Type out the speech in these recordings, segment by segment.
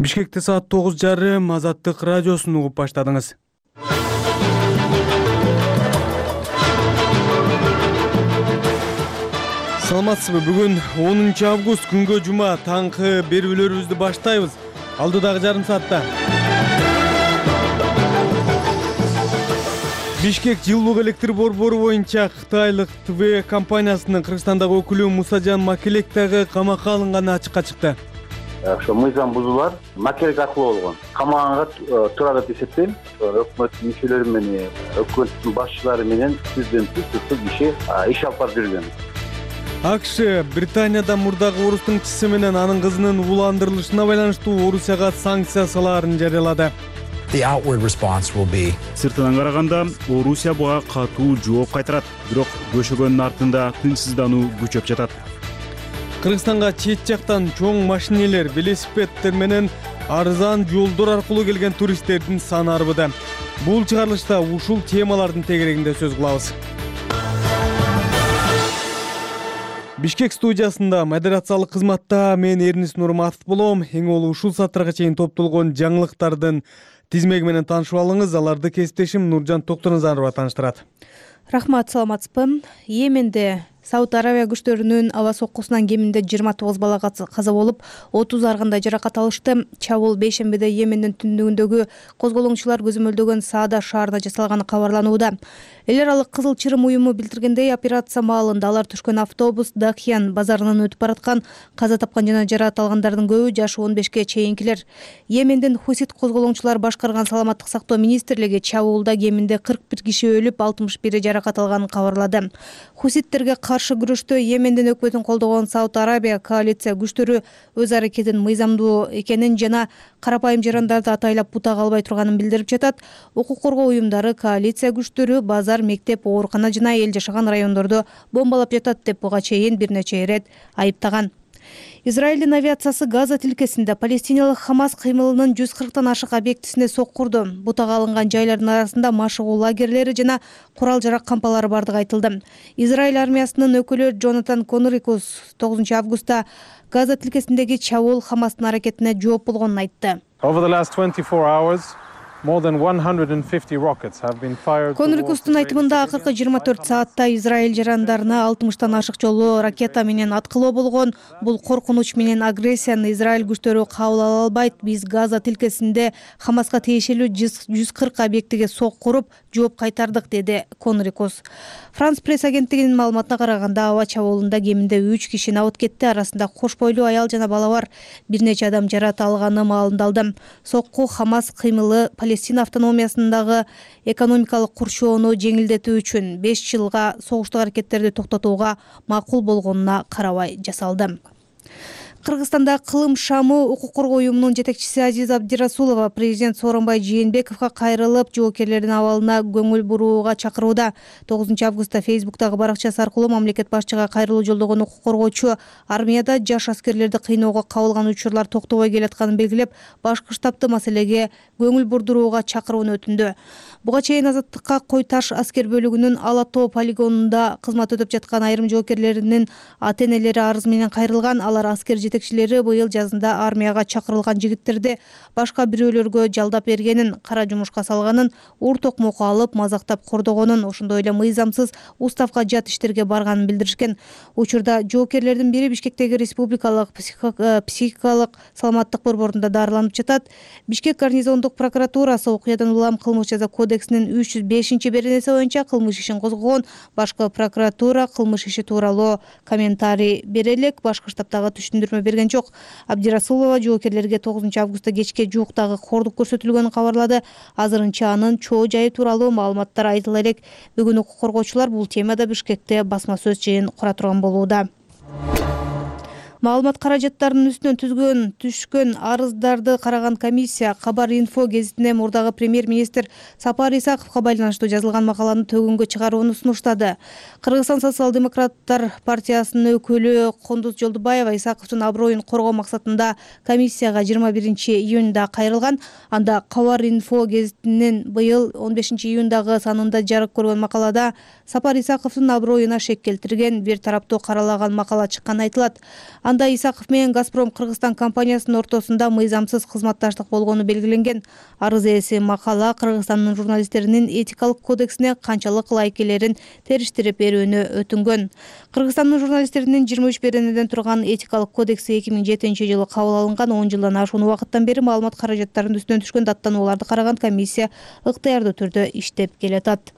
Бишкекте саат 9:30 Азаттык радиосун угуп баштадыңыз. Саламатсызбы? Бүгүн 10 август күнгө жума таңкы берүүлөрүбүздү баштайбыз. Алдыдагы жарым саатта Бишкек жылуулук электр борбору боюнча Кытайлык ТВ компаниясынын Кыргызстандагы өкүлү Мусажан Макелек дагы камакка алынганы ачыкка чыкты. Ошо мыйзам бузуулар Макелек аркылуу болгон. Камаганга турат деп эсептейм. Өкмөттүн мүчөлөрү менен, өкмөттүн башчылары менен президенттик киши иш алып барып жүргөн. АКШ Британияда мурдагы орус тыңчысы менен анын кызынын ууландырылышына байланыштуу Орусияга санкция салаарын жарыялады. Сыртынан караганда Орусия буга катуу жооп кайтарат, бирок бөшөгөндүн артында тынчсыздануу күчөп жатат. Кыргызстанга чет жактан чоң машинелер, велосипеддер менен арзан жолдор аркылуу келген туристтердин саны арбыды. Бул чыгарылышта ушул темалардын тегерегинде сөз кылабыз. Бишкек студиясында модерациялык кызматта мен Эрнис Нурматов болом. Эң болуу ушул сааттарга чейин топтолгон жаңылыктардын тизмеги менен таанышып алыңыз. Аларды кесиптешим Нуржан Токтоназарова тааныштырат. Рахмат, саламатсызбы? Йеменде Сауд Аравия күчтөрүнүн аба соккусунан кеминде 29 бала каза болуп, 30 аргандай жаракат алышты. Чабуул бейшембиде Йемендин түндүгүндөгү козголоңчулар көзөмөлдөгөн Саада шаарына жасалганы кабарланууда. Эл аралык Кызыл Чырым уюму билдиргендей, операция маалында алар түшкөн автобус Дахьян базарынан өтүп бараткан. Каза тапкан жана жаракат алгандардын көбү жашы 15ге чейинкилер. Йемендин Хусит козголоңчулар башкарган саламаттык сактоо министрлиги чабуулда кеминде 41 киши өлүп, 61 жаракат алганын кабарлады. Хуситтерге каршы күрөштө Йемендин өкмөтүн колдогон Сауд Арабия коалиция күчтөрү өз аракетин мыйзамдуу экенин жана карапайым жарандарды атайлап бутага албай турганын билдирип жатат. Укук коргоо уюмдары коалиция күчтөрү базар, мектеп, оорукана жана эл жашаган райондорду бомбалап жатат деп буга чейин бир нече ирет айыптаган. Израилдин авиациясы Газа тилкесинде палестиналык Хамас кыймылынын 140тан ашык объектисине соккурду. Бутага алынган жайлардын арасында машыгуу лагерлери жана курал-жарак кампалары бардыгы айтылды. Израиль армиясынын өкүлү Джонатан Конрикус 9 августта Газа тилкесиндеги чабуул Хамастын аракетине жооп болгонун айтты. Конрикустун айтымында акыркы 24 саатта Израиль жарандарына 60тан ашык жолу ракета менен аткылоо болгон. Бул коркунуч менен агрессияны Израиль күчтөрү кабыл ала албайт. Биз Газа тилкесинде Хамаска тиешелүү 140 объектиге соккуруп жооп кайтардык, деди Конрикус. Франс пресс агенттигинин маалыматына караганда, аба чабуулунда кеминде 3 киши абыт кетти. Арасында кош бойлуу аял жана бала бар. Бир нече адам жаракат алганы маалымдалды. Сокку Хамас кыймылы Палестина автономиясындагы экономикалык курчоону жеңилдетүү үчүн 5 жылга согуштук аракеттерди токтотууга макул болгонуна карабай жасалды. Кыргызстанда кылым шамы укук коргоо уюмунун жетекчиси Азиза Абдирасулова президент Сооронбай Жээнбековго кайрылып, жоокерлердин абалына көңүл бурууга чакырууда. 9 августта Фейсбуктагы баракчасы аркылуу мамлекет башчыга кайрылуу жолдогон укук коргоочу армияда жаш аскерлерди кыйноого кабылган учурлар токтобой келатканын белгилеп, башкы штабты маселеге көңүл бурдурууга чакырууну өтүндү. Буга чейин Азаттыкка Кой Таш аскер бөлүгүнүн Ала Тоо полигонунда кызмат өтөп жаткан айрым жоокерлеринин ата-энелери арыз менен кайрылган. Алар аскер жетекчилери быйыл жазында армияга чакырылган жигиттерди башка бирөөлөргө жалдап бергенин, кара жумушка салганын, ур токмокко алып мазактап кордогонун, ошондой эле мыйзамсыз уставка жат иштерге барганын билдиришкен. Учурда жоокерлердин бири Бишкектеги республикалык психикалык саламаттык борборунда дарыланып жатат. Бишкек гарнизондук прокуратурасы окуядан улам кылмыш жаза кодексинин 305-беренеси боюнча кылмыш ишин козгогон. Башкы прокуратура кылмыш иши тууралуу комментарий бере элек, башкы штабтагы түшүндүрмө берген жок. Абдирасулова жоокерлерге 9 августта кечке жууктагы кордук көрсөтүлгөнүн кабарлады. Азырынча анын чоо жайы тууралуу маалыматтар айтыла элек. Бүгүн укук коргоочулар бул темада Бишкекте басма сөз жыйын кура турган болууда. Маалымат каражаттарынын үстүнөн түшкөн арыздарды караган комиссия Кабар-Инфо гезитине мурдагы премьер-министр Сапар Исаковго байланыштуу жазылган макаланы төгүнгө чыгарууну сунуштады. Кыргызстан социал-демократтар партиясынын өкүлү Кондуз Жолдубаева Исаковдун аброюн коргоо максатында комиссияга 21 июнда кайрылган. Анда Кабар-Инфо гезитинин быйыл 15 июндагы санында жарык көргөн макалада Сапар Исаковдун аброюна шек келтирген, бир тараптуу каралаган макала чыкканы айтылат. Анда Исаков менен Газпром Кыргызстан компаниясынын ортосунда мыйзамсыз кызматташтык болгону белгиленген. Арыз ээси макала Кыргызстандын журналисттеринин этикалык кодексине канчалык ылайык элерин териштирип берүүнү өтүнгөн. Кыргызстандын журналисттеринин 23 беренеден турган этикалык кодекси 2007-жылы кабыл алынган. 10 жылдан ашуун убакыттан бери маалымат каражаттарынын үстүнөн түшкөн даттанууларды караган комиссия ыктыярдуу түрдө иштеп келатат.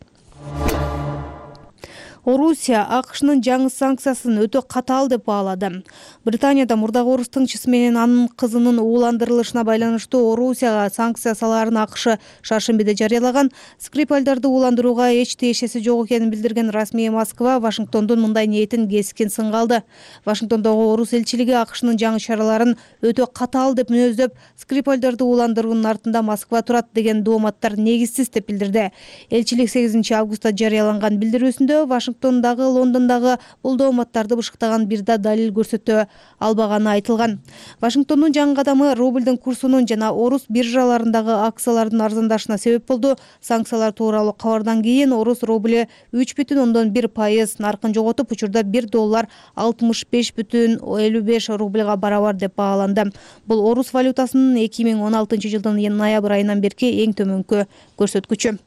Орусия АКШнын жаңы санкциясын өтө катаал деп баалады. Британияда мурдагы орус тыңчысы менен анын кызынын ууландырылышына байланыштуу Орусияга санкция салаарын АКШ шаршембиде жарыялаган. Скрипальдарды ууландырууга эч тиешеси жок экенин билдирген расмий Москва Вашингтондун мындай ниетин кескин сынга алды. Вашингтондогу орус элчилиги АКШнын жаңы чараларын өтө катаал деп мүнөздөп, скрипальдарды ууландыруунун артында Москва турат деген дооматтар негизсиз деп билдирди. Элчилик 8 августта жарыяланган билдирүүсүндө Вашингтондагы, Лондондагы бул дооматтарды бышыктаган бир да далил көрсөтө албаганы айтылган. Вашингтондун жаңы кадамы рублдун курсунун жана орус биржаларындагы акциялардын арзандашына себеп болду. Санкциялар тууралуу кабардан кийин орус рубль 3,1% наркын жоготуп, учурда $1 65,55 рубльга барабар деп бааланды. Бул орус валютасынын 2016-жылдын ноябрь айынан берки эң төмөнкү көрсөткүчү.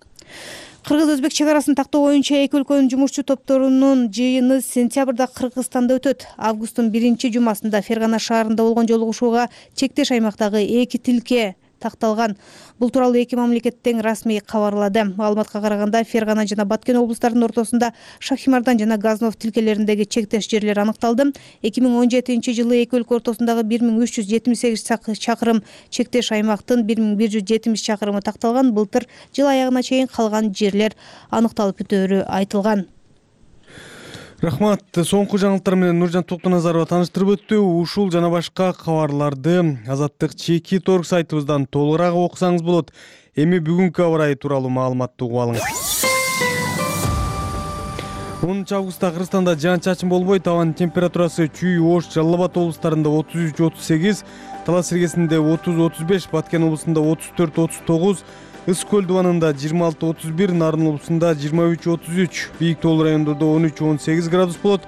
Кыргыз-өзбек чегарасын тактоо боюнча эки өлкөнүн жумушчу топторунун жыйыны сентябрда Кыргызстанда өтөт. Августтун 1-жумасында Фергана шаарында болгон жолугушууга чектеш аймактагы 2 тилке такталган. Бул тууралуу эки мамлекеттен расмий кабарлады. Маалыматка караганда Фергана жана Баткен облустарынын ортосунда Шахимардан жана Газнов тилкелериндеги чектеш жерлер аныкталды. 2017-жылы эки өлкө ортосундагы 1378 чакырым чектеш аймактын 1170 чакырымы такталган. Былтыр жыл аягына чейин калган жерлер аныкталып бүтөөрү айтылган. Рахмат. Соңку жаңылыктар менен Нуржан Токтоназарова тааныштырып өттү. Ушул жана башка кабарларды Азаттык чеки торг сайтыбыздан толугураак окусаңыз болот. Эми бүгүнкү аба ырайы тууралуу маалыматты угуп алыңыз. 10 августта Кыргызстанда жаан-чачын болбойт. Абанын температурасы Чүй, Ош, Жалал Абад облустарында 33-38, Талас Иргесинде 30-35, Баткен облусунда 34-39, Ыс көл дубанында 26-31, Нарын облусунда 23-33, Бийик Тоол райондордо 13-18 градус болот.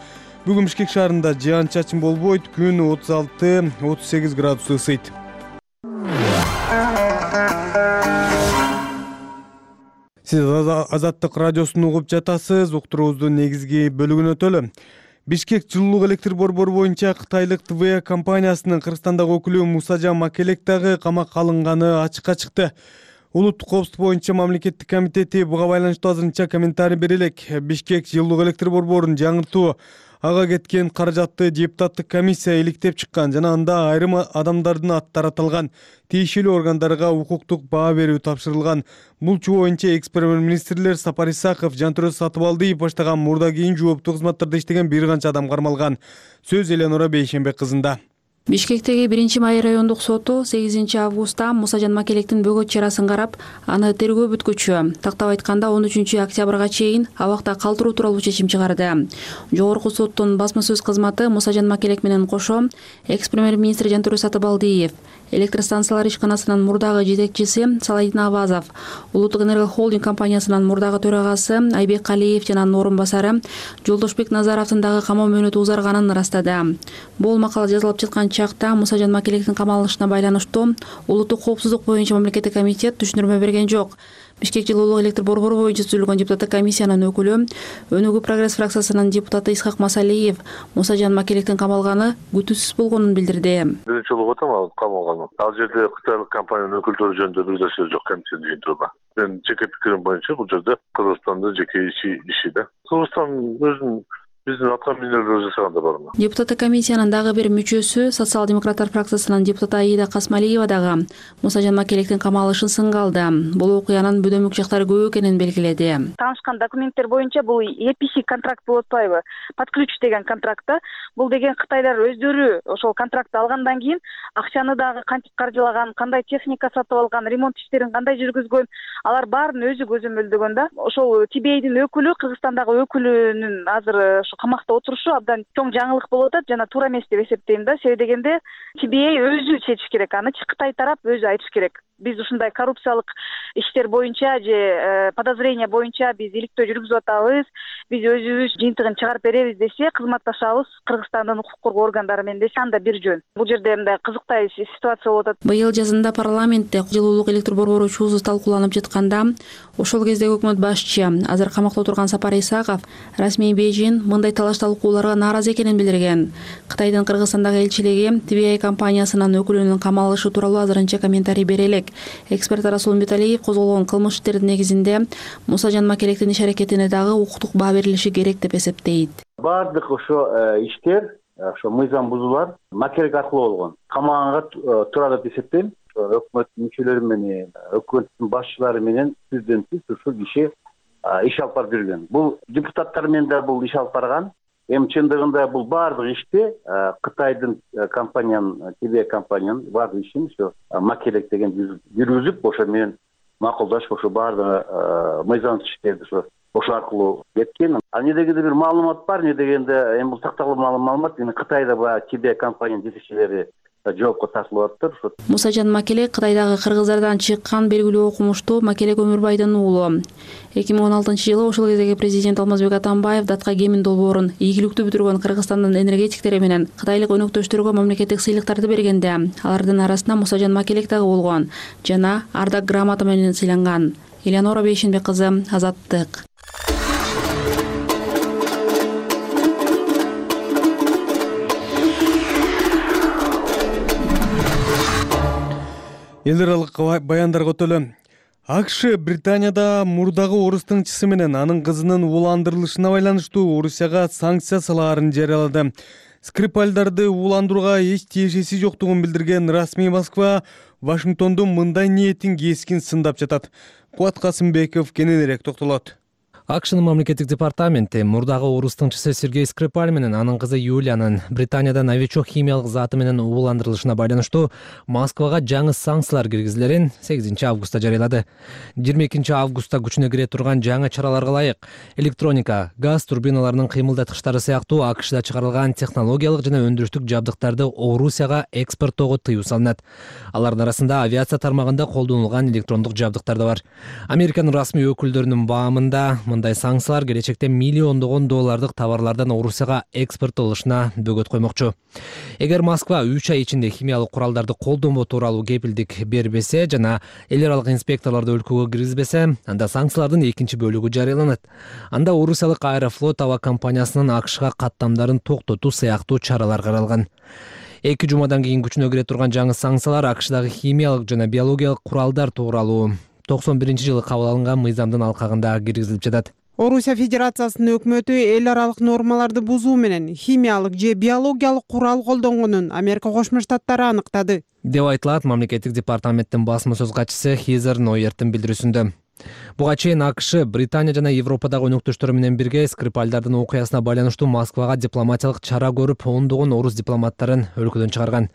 Бүгүн Бишкек шаарында жаан-чачын болбойт, күн 36-38 градус ысыйт. Сиз Азаттык радиосун угуп жатасыз. Уктуруубуздун негизги бөлүгүнө өтөлү. Бишкек жылуулук электр борбору боюнча Кытайлык ТВ компаниясынын Кыргызстандагы өкүлү Мусажан Макелек дагы камакка алынганы ачыкка чыкты. Улуттук коопсуздук боюнча мамлекеттик комитети буга байланыштуу азырынча комментарий бере элек. Бишкек жылуулук электр борборун жаңыртуу, ага кеткен каражатты депутаттык комиссия иликтеп чыккан жана анда айрым адамдардын аттары аталган. Тиешелүү органдарга укуктук баа берүү тапшырылган. Бул чуу боюнча экс-премьер-министрлер Сапар Исаков, Жантөрө Сатыбалдиев баштаган мурда кийин жооптуу кызматтарда иштеген бир канча адам кармалган. Сөз Эленора Бейшенбек кызында. Бишкектеги 1-май райондук соту 8 августта Мусажан Макелектин бөгөт чарасын карап, аны тергөө бүткүчү, тактап айтканда 13 октябрга чейин абакта калтыруу тууралуу чечим чыгарды. Жогорку соттун басма сөз кызматы Мусажан Макелек менен кошо экс-премьер-министр Жантөрө Сатыбалдиев, электр станциялар ишканасынын мурдагы жетекчиси Саладин Абазов, Улуттук энерго холдинг компаниясынын мурдагы төрагасы Айбек Калиев жана анын орун басары Жолдошбек Назаровдун дагы камоо мөөнөтү узарганын ырастады. Бул макала жазылып жаткан чакта Мусажан Макелектин камалышына байланыштуу улуттук коопсуздук боюнча мамлекеттик комитет түшүндүрмө берген жок. Бишкек жылуулук электр борбору боюнча түзүлгөн депутаттык комиссиянын өкүлү, Өнүгүү прогресс фракциясынын депутаты Исхак Масалиев Мусажан Макелектин камалганы күтүүсүз болгонун билдирди. Биринчи жолу отам камалган. Ал жерде кытайлык компаниянын өкүлдөрү жөнүндө бир нерсе жок комиссия жыйынтыгында. Мен жеке пикирим боюнча бул жерде Кыргызстандын жеке иши да. Кыргызстан өзүнүн биздин аткаминерлер жасаганда бармы? Депутаттык комиссиянын дагы бир мүчөсү социал-демократтар фракциясынын депутаты Аида Касмалиева дагы Мусажан Макелектин камалышын сынга алды. Бул окуянын бөдөмүк жактары көп экенин белгиледи. Таанышкан документтер боюнча бул EPC контракт болуп атпайбы? Под ключ деген контрактта. Бул деген Кытайлар өздөрү ошол контрактты алгандан кийин акчаны дагы кантип каржылаган, кандай техника сатып алган, ремонт иштерин кандай жүргүзгөн, алар баарын өзү көзөмөлдөгөн да. Ошол TBA'дин өкүлү, Кыргызстандагы өкүлүнүн азыр камакта отурушу абдан чоң жаңылык болуп атат жана туура эмес деп эсептейм да. Себеби дегенде TBA өзү чечиш керек, аны Кытай тарап өзү айтыш керек. Биз ушундай коррупциялык иштер боюнча же подозрение боюнча биз иликтөө жүргүзүп атабыз, биз өзүбүз жыйынтыгын чыгарып беребиз десе, кызматташабыз Кыргызстандын укук коргоо органдары менен десе, анда бир жөн. Бул жерде мындай кызыктай ситуация болуп атат. Быйыл жазында парламентте жылуулук электр борбору чуусу талкууланып жатканда, ошол кезде өкмөт башчы азыр камакта отурган Сапар Исаков расмий Бейжин мындай талаш талкууларга нааразы экенин билдирген. Кытайдын Кыргызстандагы элчилиги TBA компаниясынын өкүлүнүн камалышы тууралуу азырынча комментарий бере элек. Эксперт Расул Миталиев козголгон кылмыш иштердин негизинде Мусажан Макелектин иш-аракетине дагы укуктук баа берилиши керек деп эсептейт. Баардык ошо иштер, ошо мыйзам бузуулар Макелек аркылуу болгон. Камаганга турат деп эсептейм. Өкмөттүн мүчөлөрү менен, өкмөттүн башчылары менен түздөн түз ушул киши иш алып барып жүргөн. Бул депутаттар менен да бул иш алып барган. Эми чындыгында бул баардык ишти Кытайдын компаниянын, TBA компаниянын баардык ишин ошо Макелек деген жүргүзүп, ошо менен макулдашып, ошо баардык мыйзам иштерди ошо аркылуу кеткен. Эмне дегенде бир маалымат бар, эмне дегенде эми бул такталуу маалымат, эми Кытайда баягы TBA компаниянын жетекчилери жоопко тартылып атыптыр. Мусажан Макелек Кытайдагы кыргыздардан чыккан белгилүү окумуштуу Макелек Өмүрбайдын уулу. 2016-жылы ошол кездеги президент Алмазбек Атамбаев датка кемин долбоорун ийгиликтүү бүтүргөн Кыргызстандын энергетиктери менен кытайлык өнөктөштөргө мамлекеттик сыйлыктарды бергенде, алардын арасында Мусажан Макелек дагы болгон жана Ардак грамота менен сыйланган. Элеонора Бейшенбек кызы, Азаттык. Эл аралык баяндарга өтөлү. АКШ Британияда мурдагы орус тыңчысы менен анын кызынын ууландырылышына байланыштуу Орусияга санкция салаарын жарыялады. Скрипальдарды ууландырууга эч тиешеси жоктугун билдирген расмий Москва Вашингтондун мындай ниетин кескин сындап жатат. Кубат Касымбеков кененирээк токтолот. АКШнын мамлекеттик департаменти мурдагы орус тыңчысы Сергей Скрипаль менен анын кызы Юлиянын Британияда новичок химиялык заты менен ууландырылышына байланыштуу Москвага жаңы санкциялар киргизилерин 8-августта жарыялады. 22-августта күчүнө кире турган жаңы чараларга ылайык электроника, газ турбиналарынын кыймылдаткычтары сыяктуу АКШда чыгарылган технологиялык жана өндүрүштүк жабдыктарды Орусияга экспорттоого тыюу салынат. Алардын арасында авиация тармагында колдонулган электрондук жабдыктар да бар. Американын расмий өкүлдөрүнүн баамында мындай санкциялар келечекте миллиондогон доллардык товарлардан Орусияга экспорттолушуна бөгөт коймокчу. Эгер Москва 3 ай ичинде химиялык куралдарды колдонбоо тууралуу кепилдик бербесе жана эл аралык инспекторлорду өлкөгө киргизбесе, анда санкциялардын экинчи бөлүгү жарыяланат. Анда Орусиялык Аэрофлот аба компаниясынын АКШга каттамдарын токтотуу сыяктуу чаралар каралган. 2 жумадан кийин күчүнө кире турган жаңы санкциялар АКШдагы химиялык жана биологиялык куралдар тууралуу 91-жылы кабыл алынган мыйзамдын алкагында киргизилип жатат. Орусия Федерациясынын өкмөтү эл аралык нормаларды бузуу менен химиялык же биологиялык курал колдонгонун Америка Кошмо Штаттары аныктады деп айтылат мамлекеттик департаменттин басма сөз катчысы Хизер Нойерттин билдирүүсүндө. Буга чейин АКШ Британия жана Европадагы өнөктөштөрү менен бирге Скрипальдардын окуясына байланыштуу Москвага дипломатиялык чара көрүп, ондогон орус дипломаттарын өлкөдөн чыгарган.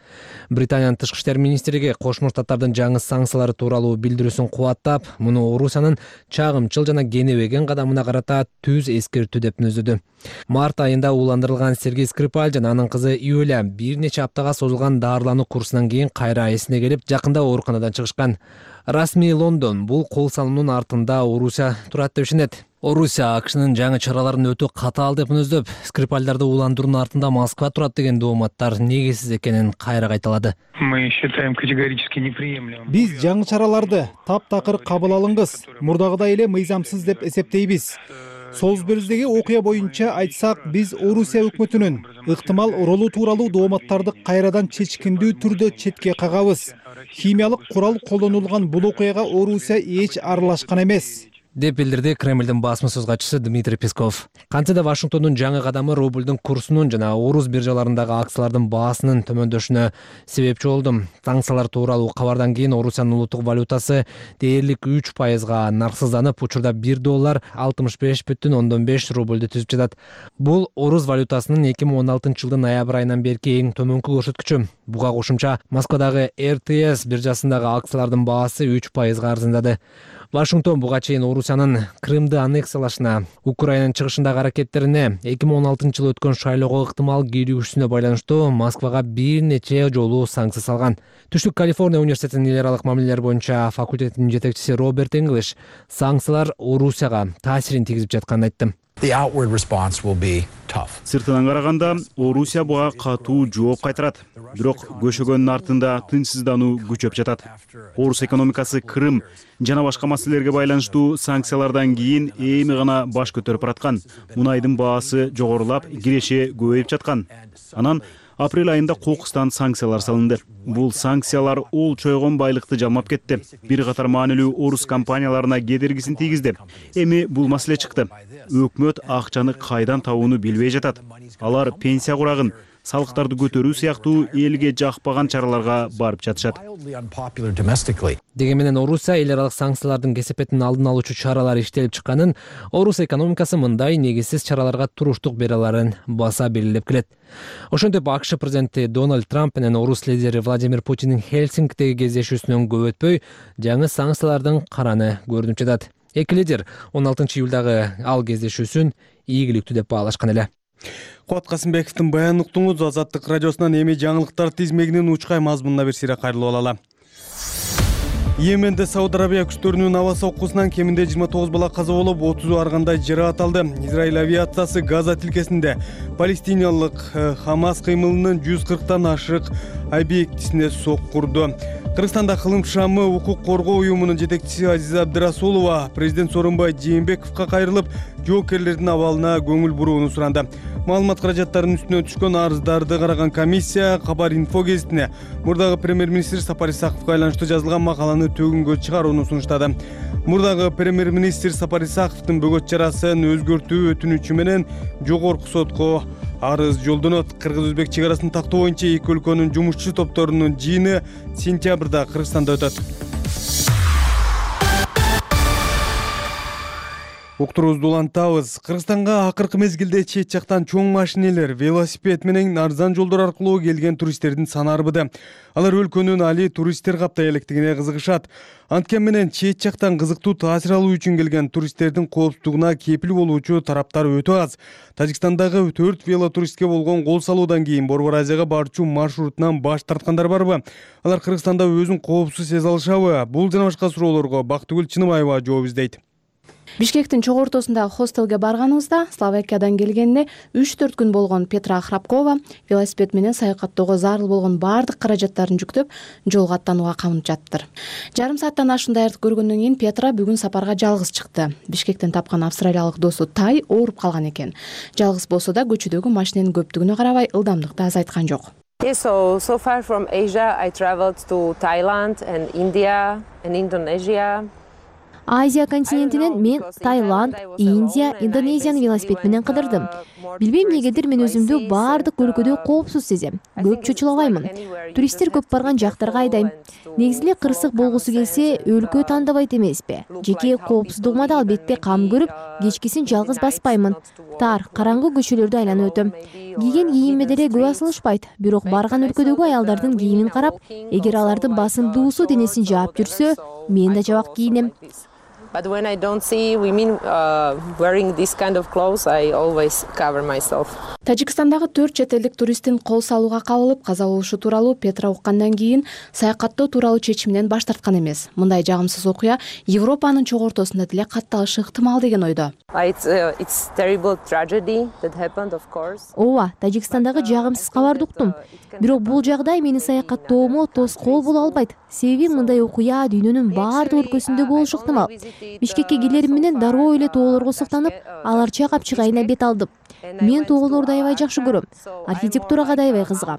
Британиянын тышкы иштер министрлиги Кошмо Штаттардын жаңы санкциялары тууралуу билдирүүсүн кубаттап, муну Орусиянын чагымчыл жана кенебеген кадамына карата түз эскертүү деп мүнөздөдү. Март айында ууландырылган Сергей Скрипаль жана анын кызы Юля бир нече аптага созулган даарылануу курсунан кийин кайра эсине келип, жакында ооруканадан чыгышкан. Расмий Лондон бул кол салуунун артында Орусия турат деп ишенет. Орусия АКШнын жаңы чараларын өтө катаал деп мүнөздөп, Скрипальдарды ууландыруунун артында Москва турат деген дооматтар негизсиз экенин кайра кайталады. Мы считаем категорически неприемлемым. Биз жаңы чараларды таптакыр кабыл алыңыз, мурдагыдай эле мыйзамсыз деп эсептейбиз. Солсбергдеги окуя боюнча айтсак, биз Орусия өкмөтүнүн ыктымал ролу тууралуу дооматтарды кайрадан чечкиндүү түрдө четке кагабыз. Химиялык курал колдонулган бул окуяга Орусия эч аралашкан эмес деп билдирди Кремлдин басма сөз катчысы Дмитрий Песков. Кантсе да Вашингтондун жаңы кадамы рубльдун курсунун жана орус биржаларындагы акциялардын баасынын төмөндөшүнө себепчи болду. Санкциялар тууралуу кабардан кийин Орусиянын улуттук валютасы дээрлик 3%га нарксызданып, учурда $1 65,5 рубльдү түзүп жатат. Бул орус валютасынын 2016-жылдын ноябрь айынан берки эң төмөнкү көрсөткүчү. Буга кошумча Москвадагы РТС биржасындагы акциялардын баасы 3%га арзандады. Вашингтон буга чейин Орусиянын Крымды аннексиялашына, Украинанын чыгышындагы аракеттерине, 2016-жылы өткөн шайлоого ыктымал киригишүүсүнө байланыштуу Москвага бир нече жолу санкция салган. Түштүк Калифорния университетинин эл аралык мамилелер боюнча факультетинин жетекчиси Роберт English санкциялар Орусияга таасирин тийгизип жатканын айтты. Сыртынан караганда Орусия буга катуу жооп кайтарат. Бирок көшөгөндүн артында тынчсыздануу күчөп жатат. Орус экономикасы Крым жана башка маселелерге байланыштуу санкциялардан кийин эми гана баш көтөрүп бараткан. Мунайдын баасы жогорулап, киреше көбөйүп жаткан. Анан апрель айында кокустан санкциялар салынды. Бул санкциялар ол чойгон байлыкты жалмап кетти. Бир катар маанилүү орус компанияларына кедергисин тийгизди. Эми бул маселе чыкты. Өкмөт акчаны кайдан табууну билбей жатат. Алар пенсия курагын, салыктарды көтөрүү сыяктуу элге жакпаган чараларга барып жатышат. Деги менен Орусия эл аралык санкциялардын кесепетин алдын алуучу чаралар иштелип чыкканын, Орус экономикасы мындай негизсиз чараларга туруштук бере аларын баса белгилеп келет. Ошентип АКШ президенти Дональд Трамп менен орус лидери Владимир Путиндин Хельсинкидеги кездешүүсүнөн көп өтпөй жаңы санкциялардын караны көрүнүп жатат. Эки лидер 16-июлдагы ал кездешүүсүн ийгиликтүү деп баалашкан эле. Кубат Касымбековдун баянын уктуңуз. Азаттык радиосунан эми жаңылыктар тизмегинин учкай мазмунуна бир сыйра кайрылып алалы. Йеменде Сауд Арабия күчтөрүнүн аба соккусунан кеминде 29 бала каза болуп, 30 аргандай жаракат алды. Израиль авиациясы Газа тилкесинде палестиналык Хамас кыймылынын 140тан ашык объектисине соккурду. Кыргызстанда Кылым шамы укук коргоо уюмунун жетекчиси Азиза Абдырасулова президент Сооронбай Жээнбековго кайрылып, жоокерлердин абалына көңүл бурууну суранды. Маалымат каражаттарынын үстүнө түшкөн арыздарды караган комиссия Кабар инфо гезитине мурдагы премьер-министр Сапар Исаковго айланыштуу жазылган макаланы төгүнгө чыгарууну сунуштады. Мурдагы премьер-министр Сапар Исаковдун бөгөт чарасын өзгөртүү өтүнүчү менен жогорку сотко арыз жолдонот. Кыргыз-өзбек чек арасын тактоо боюнча эки өлкөнүн жумушчу топторунун жыйыны сентябрда Кыргызстанда өтөт. Уктуруубузду улантабыз. Кыргызстанга акыркы мезгилде чет жактан чоң машинелер, велосипед менен арзан жолдор аркылуу келген туристтердин саны арбыды. Алар өлкөнүн али туристтер каптай электигине кызыгышат. Анткени менен чет жактан кызыктуу таасир алуу үчүн келген туристтердин коопсуздугуна кепил болуучу тараптар өтө аз. Тажикстандагы 4 велотуристке болгон кол салуудан кийин Борбор Азияга барчу маршрутунан баш тарткандар барбы? Алар Кыргызстанда өзүн коопсуз сезе алышабы? Бул жана башка суроолорго Бактыгүл Чыныбаева жооп издейт. Бишкектин чогуу ортосундагы хостелге барганыбызда Словакиядан келгенине 3-4 күн болгон Петра Храпкова велосипед менен саякаттоого зарыл болгон баардык каражаттарын жүктөп, жолго аттанууга камынып жаттыр. Жарым сааттан ашык даярдык көргөндөн кийин Петра бүгүн сапарга жалгыз чыкты. Бишкектен тапкан австралиялык досу Тай ооруп калган экен. Жалгыз болсо да көчөдөгү машиненин көптүгүнө карабай ылдамдыкты азайткан жок. So far from Asia, I traveled to Thailand and India and Indonesia. Азия континентинен мен Таиланд, Индия, Индонезияны велосипед менен кыдырдым. Билбейм эмнегедир мен өзүмдү баардык өлкөдө коопсуз сезем. Көп чочулабаймын. Туристтер көп барган жактарга айдайм. Негизи эле кырсык болгусу келсе, өлкө тандабайт эмеспи. Жеке коопсуздугума да албетте кам көрүп, кечкисин жалгыз баспаймын. Тар, караңгы көчөлөрдү айланып өтөм. Кийген кийимиме деле көп асылышпайт. Бирок барган өлкөдөгү аялдардын кийимин карап, эгер алардын басымдуусу денесин жаап жүрсө, мен да жабак кийинем. But when I don't see women wearing this kind of clothes, I always cover myself. Тажикстандагы 4 чет элдик туристтин кол салууга кабылып, каза болушу тууралуу Петра уккандан кийин саякаттоо тууралуу чечиминен баш тарткан эмес. Мындай жагымсыз окуя Европанын чогуу ортосунда деле катталышы ыктымал деген ойдо. It's terrible tragedy that happened, of course. Ооба, Тажикстандагы жагымсыз кабарды уктум. Бирок бул жагдай мени саякаттоомо тоскоол боло албайт. Себеби мындай окуя дүйнөнүн баардык өлкөсүндө болушу ыктымал. Бишкекке келерим менен дароо эле тоолорго суктанып, аларча капчыгайына бет алдым. Мен тоолорду аябай жакшы көрөм. Архитектурага да аябай кызыгам.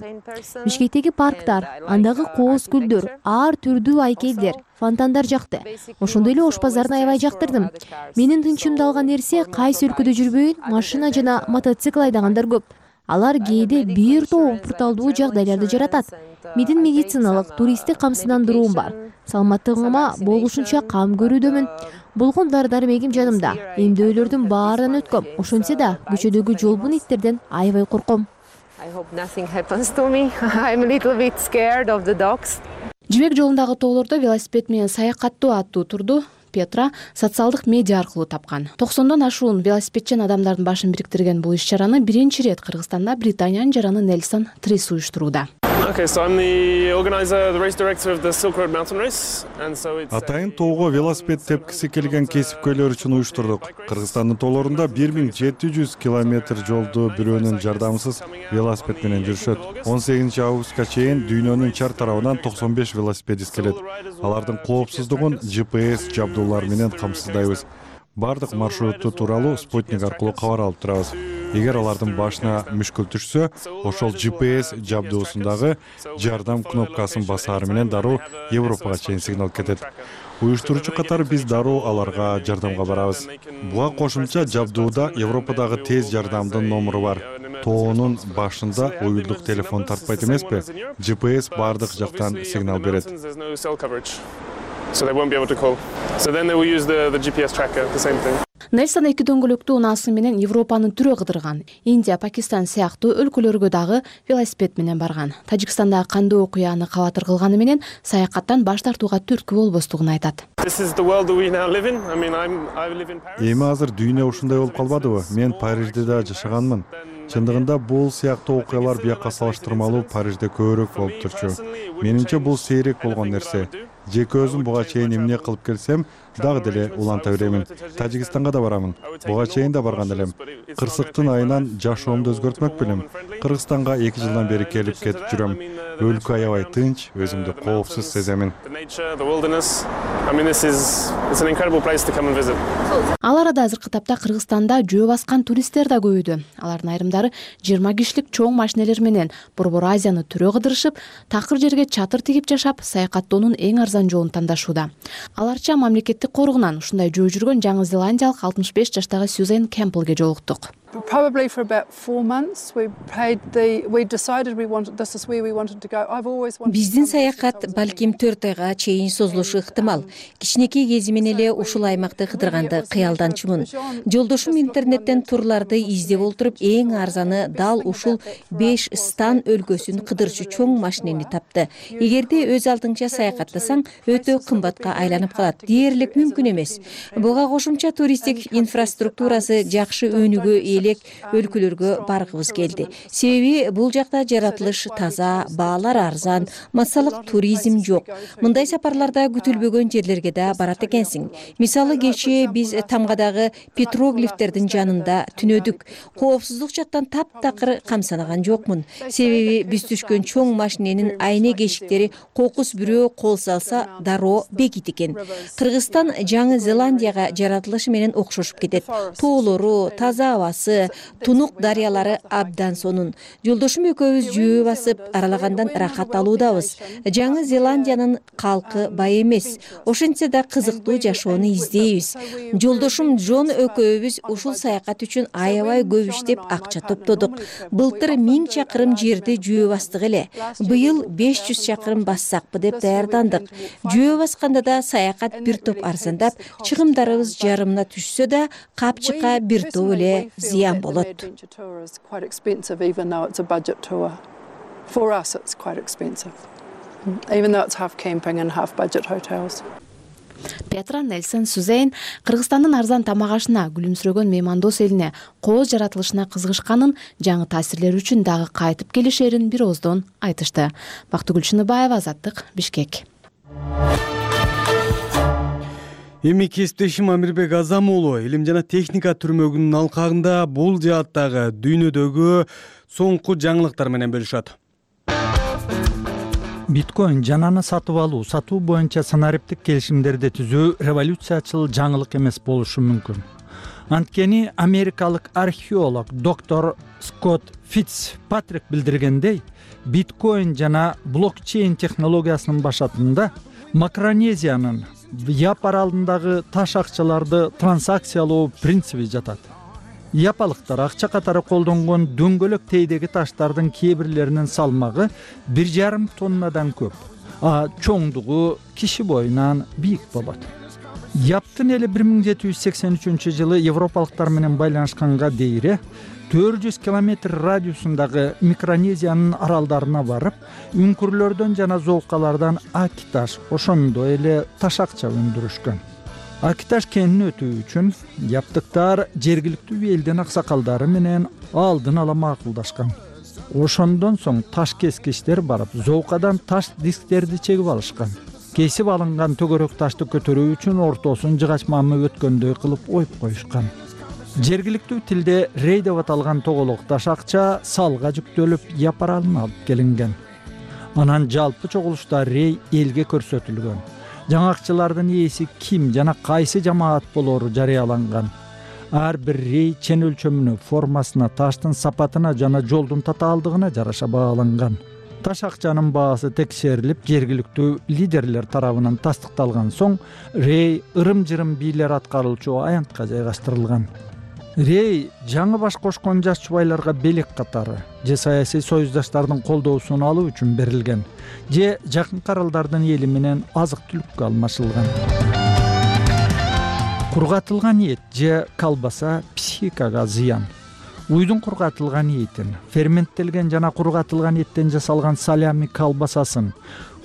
Бишкектеги парктар, андагы кооз гүлдөр, ар түрдүү айкелдер, фонтандар жакты. Ошондой эле ош базарын аябай жактырдым. Менин тынчымды алган нерсе кайсы өлкөдө жүрбөйүн, машина жана мотоцикл айдагандар көп. Алар кээде бир топ пурталдуу жагдайларды жаратат. Менин медициналык, туристтик камсыздандыруум бар. Саламаттыгыма болушунча кам көрүүдөмүн. Болгон дар-дармегим жанымда. Эмдөөлөрдүн баарынан өткөм. Ошентсе да көчөдөгү жолбун иттерден аябай корком. I hope nothing happens to me. I'm a little bit scared of the dogs. Жибек жолундагы тоолордо велосипед менен саякаттоо аттуу турду Петра социалдык медиа аркылуу тапкан. 90дон ашуун велосипедчен адамдардын башын бириктирген бул иш-чараны биринчи ирет Кыргызстанда Британиянын жараны Нельсон Трис уюштурууда. Атайын тоого велосипед тепкиси келген кесипкөйлөр үчүн уюштурдук. Кыргызстандын тоолорунда 1700 километр жолду бирөөнүн жардамысыз велосипед менен жүрүшөт. 18 августка чейин дүйнөнүн чар тарабынан 95 велосипедист келет. Алардын коопсуздугун GPS жабдуулар менен камсыздайбыз. Бардык маршрутту тууралуу спутник аркылуу кабар алып турабыз. Эгер алардын башына мүшкүл түшсө, ошол GPS жабдуусундагы жардам кнопкасын басаары менен дароо Европага чейин сигнал кетет. Уюштуруучу катары биз дароо аларга жардамга барабыз. Буга кошумча жабдууда Европадагы тез жардамдын номуру бар. Тоонун башында уюлдук телефон тартпайт эмеспи? GPS бардык жактан сигнал берет. Нельсон 2 дөңгөлөктүү унаасы менен Европанын түрө кыдырган. Индия, Пакистан сыяктуу өлкөлөргө дагы велосипед менен барган. Тажикстанда кандуу окуяны кабатыр кылганы менен саякаттан баш тартууга түрткү болбостугун айтат. Эми азыр дүйнө ушундай болуп калбадыбы? Мен Парижде да жашаганмын. Чындыгында бул сыяктуу окуялар бияка салыштырмалуу Парижде көбүрөөк болуп турчу. Менимче бул сейрек болгон нерсе. Жеке өзүм буга чейин эмне кылып келсем, дагы деле уланта беремин. Тажикстанга да барамын. Буга чейин да барган элем. Кырсыктын айынан жашоомду өзгөртмөк белем. Кыргызстанга 2 жылдан бери келип кетип жүрөм. Өлкө аябай тынч, өзүмдү коопсуз сеземин. Ал арада азыркы тапта Кыргызстанда жөө баскан туристтер да көбөйдү. Алардын айрымдары 20 кишилик чоң машинелер менен Борбор Азияны түрө кыдырышып, такыр жерге чатыр тигип жашап, саякаттоонун эң арзан жолун тандашууда. Аларча мамлекеттик коргунан ушундай жөө жүргөн Жаңы Зеландиялык 65 жаштагы Сюзен Кемплге жолуктук. Биздин саякат балким 4 айга чейин созулушу ыктымал. Кичинекей кезимен эле ушул аймакты кыдырганды кыялданчумун. Жолдошум интернеттен турларды издеп олтуруп, эң арзаны дал ушул 5 стан өлкөсүн кыдырчу чоң машинени тапты. Эгерде өз алдыңча саякаттасаң, өтө кымбатка айланып калат. Дээрлик мүмкүн эмес. Буга кошумча туристтик инфраструктурасы жакшы өнүгүү өлкөлөргө баргыбыз келди. Себеби бул жакта жаратылыш таза, баалар арзан, массалык туризм жок. Мындай сапарларда күтүлбөгөн жерлерге да барат экенсиң. Мисалы кечээ биз Тамгадагы петроглифтердин жанында түнөдүк. Коопсуздук жактан таптакыр камсанаган жокмун. Себеби биз түшкөн чоң машиненин айне кешиктери кокус бирөө кол салса дароо бекит экен. Кыргызстан Жаңы Зеландияга жаратылышы менен окшошуп кетет. Тоолору, таза абасы, тунук дарыялары абдан сонун. Жолдошум экөөбүз жөө басып, аралагандан рахат алуудабыз. Жаңы Зеландиянын калкы бай эмес. Ошентсе да кызыктуу жашоону издейбиз. Жолдошум Джон экөөбүз ушул саякат үчүн аябай көп иштеп акча топтодук. Былтыр 1000 чакырым жерди жөө бастык эле. Быйыл 500 чакырым бассакпы деп даярдандык. Жөө басканда да саякат бир топ арзандап, чыгымдарыбыз жарымына түшсө да, капчыкка бир топ эле зыян болот. Петра, Нельсон, Сюзен Кыргызстандын арзан тамак ашына, күлүмсүрөгөн меймандос элине, кооз жаратылышына кызыгышканын, жаңы таасирлер үчүн дагы кайтып келишерин бир ооздон айтышты. Бактыгүл Чыныбаева, Азаттык, Бишкек. Эми кесиптешим Амирбек Азам уулу илим жана техника түрмөгүнүн алкагында бул жааттагы дүйнөдөгү соңку жаңылыктар менен бөлүшөт. Биткоин жананы сатып алуу, сатуу боюнча санариптик келишимдерди түзүү революциячыл жаңылык эмес болушу мүмкүн. Анткени америкалык археолог доктор Скотт Фитцпатрик билдиргендей, биткоин жана блокчейн технологиясынын башатында Макронезиянын Яп аралындагы таш акчаларды транзакциялоо принциби жатат. Япалыктар акча катары колдонгон дөңгөлөк тейдеги таштардын кээ бирлеринин салмагы 1,5 тоннадан көп, а чоңдугу киши боюнан бийик болот. Яптын эли 1783-жылы европалыктар менен байланышканга дейре 400 километр радиусундагы Микронезиянын аралдарына барып, үңкүрлөрдөн жана золкалардан ак таш, ошондой эле таш акча өндүрүшкөн. Акиташ кенин өтүү үчүн яптыктар жергиликтүү элдин аксакалдары менен алдын ала макулдашкан. Ошондон соң таш кескичтер барып, зоокадан таш дисктерди чегип алышкан. Кесип алынган төгөрөк ташты көтөрүү үчүн ортосун жыгач мамы өткөндөй кылып оюп коюшкан. Жергиликтүү тилде рей деп аталган тоголок таш акча салга жүктөлүп япаралына алып келинген. Анан жалпы чогулушта рей элге көрсөтүлгөн. Жаңы акчалардын ээси ким жана кайсы жамаат болору жарыяланган. Ар бир рей чен өлчөмүнө, формасына, таштын сапатына жана жолдун татаалдыгына жараша бааланган. Таш акчанын баасы текшерилип, жергиликтүү лидерлер тарабынан тастыкталган соң, рей ырым-жырым бийлер аткаруучу аянтка жайгаштырылган. Рей жаңы баш кошкон жаш чубайларга белек катары же саясий союздаштардын колдоосун алуу үчүн берилген, же жакынкы аралдардын эли менен азык-түлүккө алмашылган. Кургатылган эт же колбаса психикага зыян. Уйдун кургатылган этин, ферменттелген жана кургатылган эттен жасалган салями колбасасын,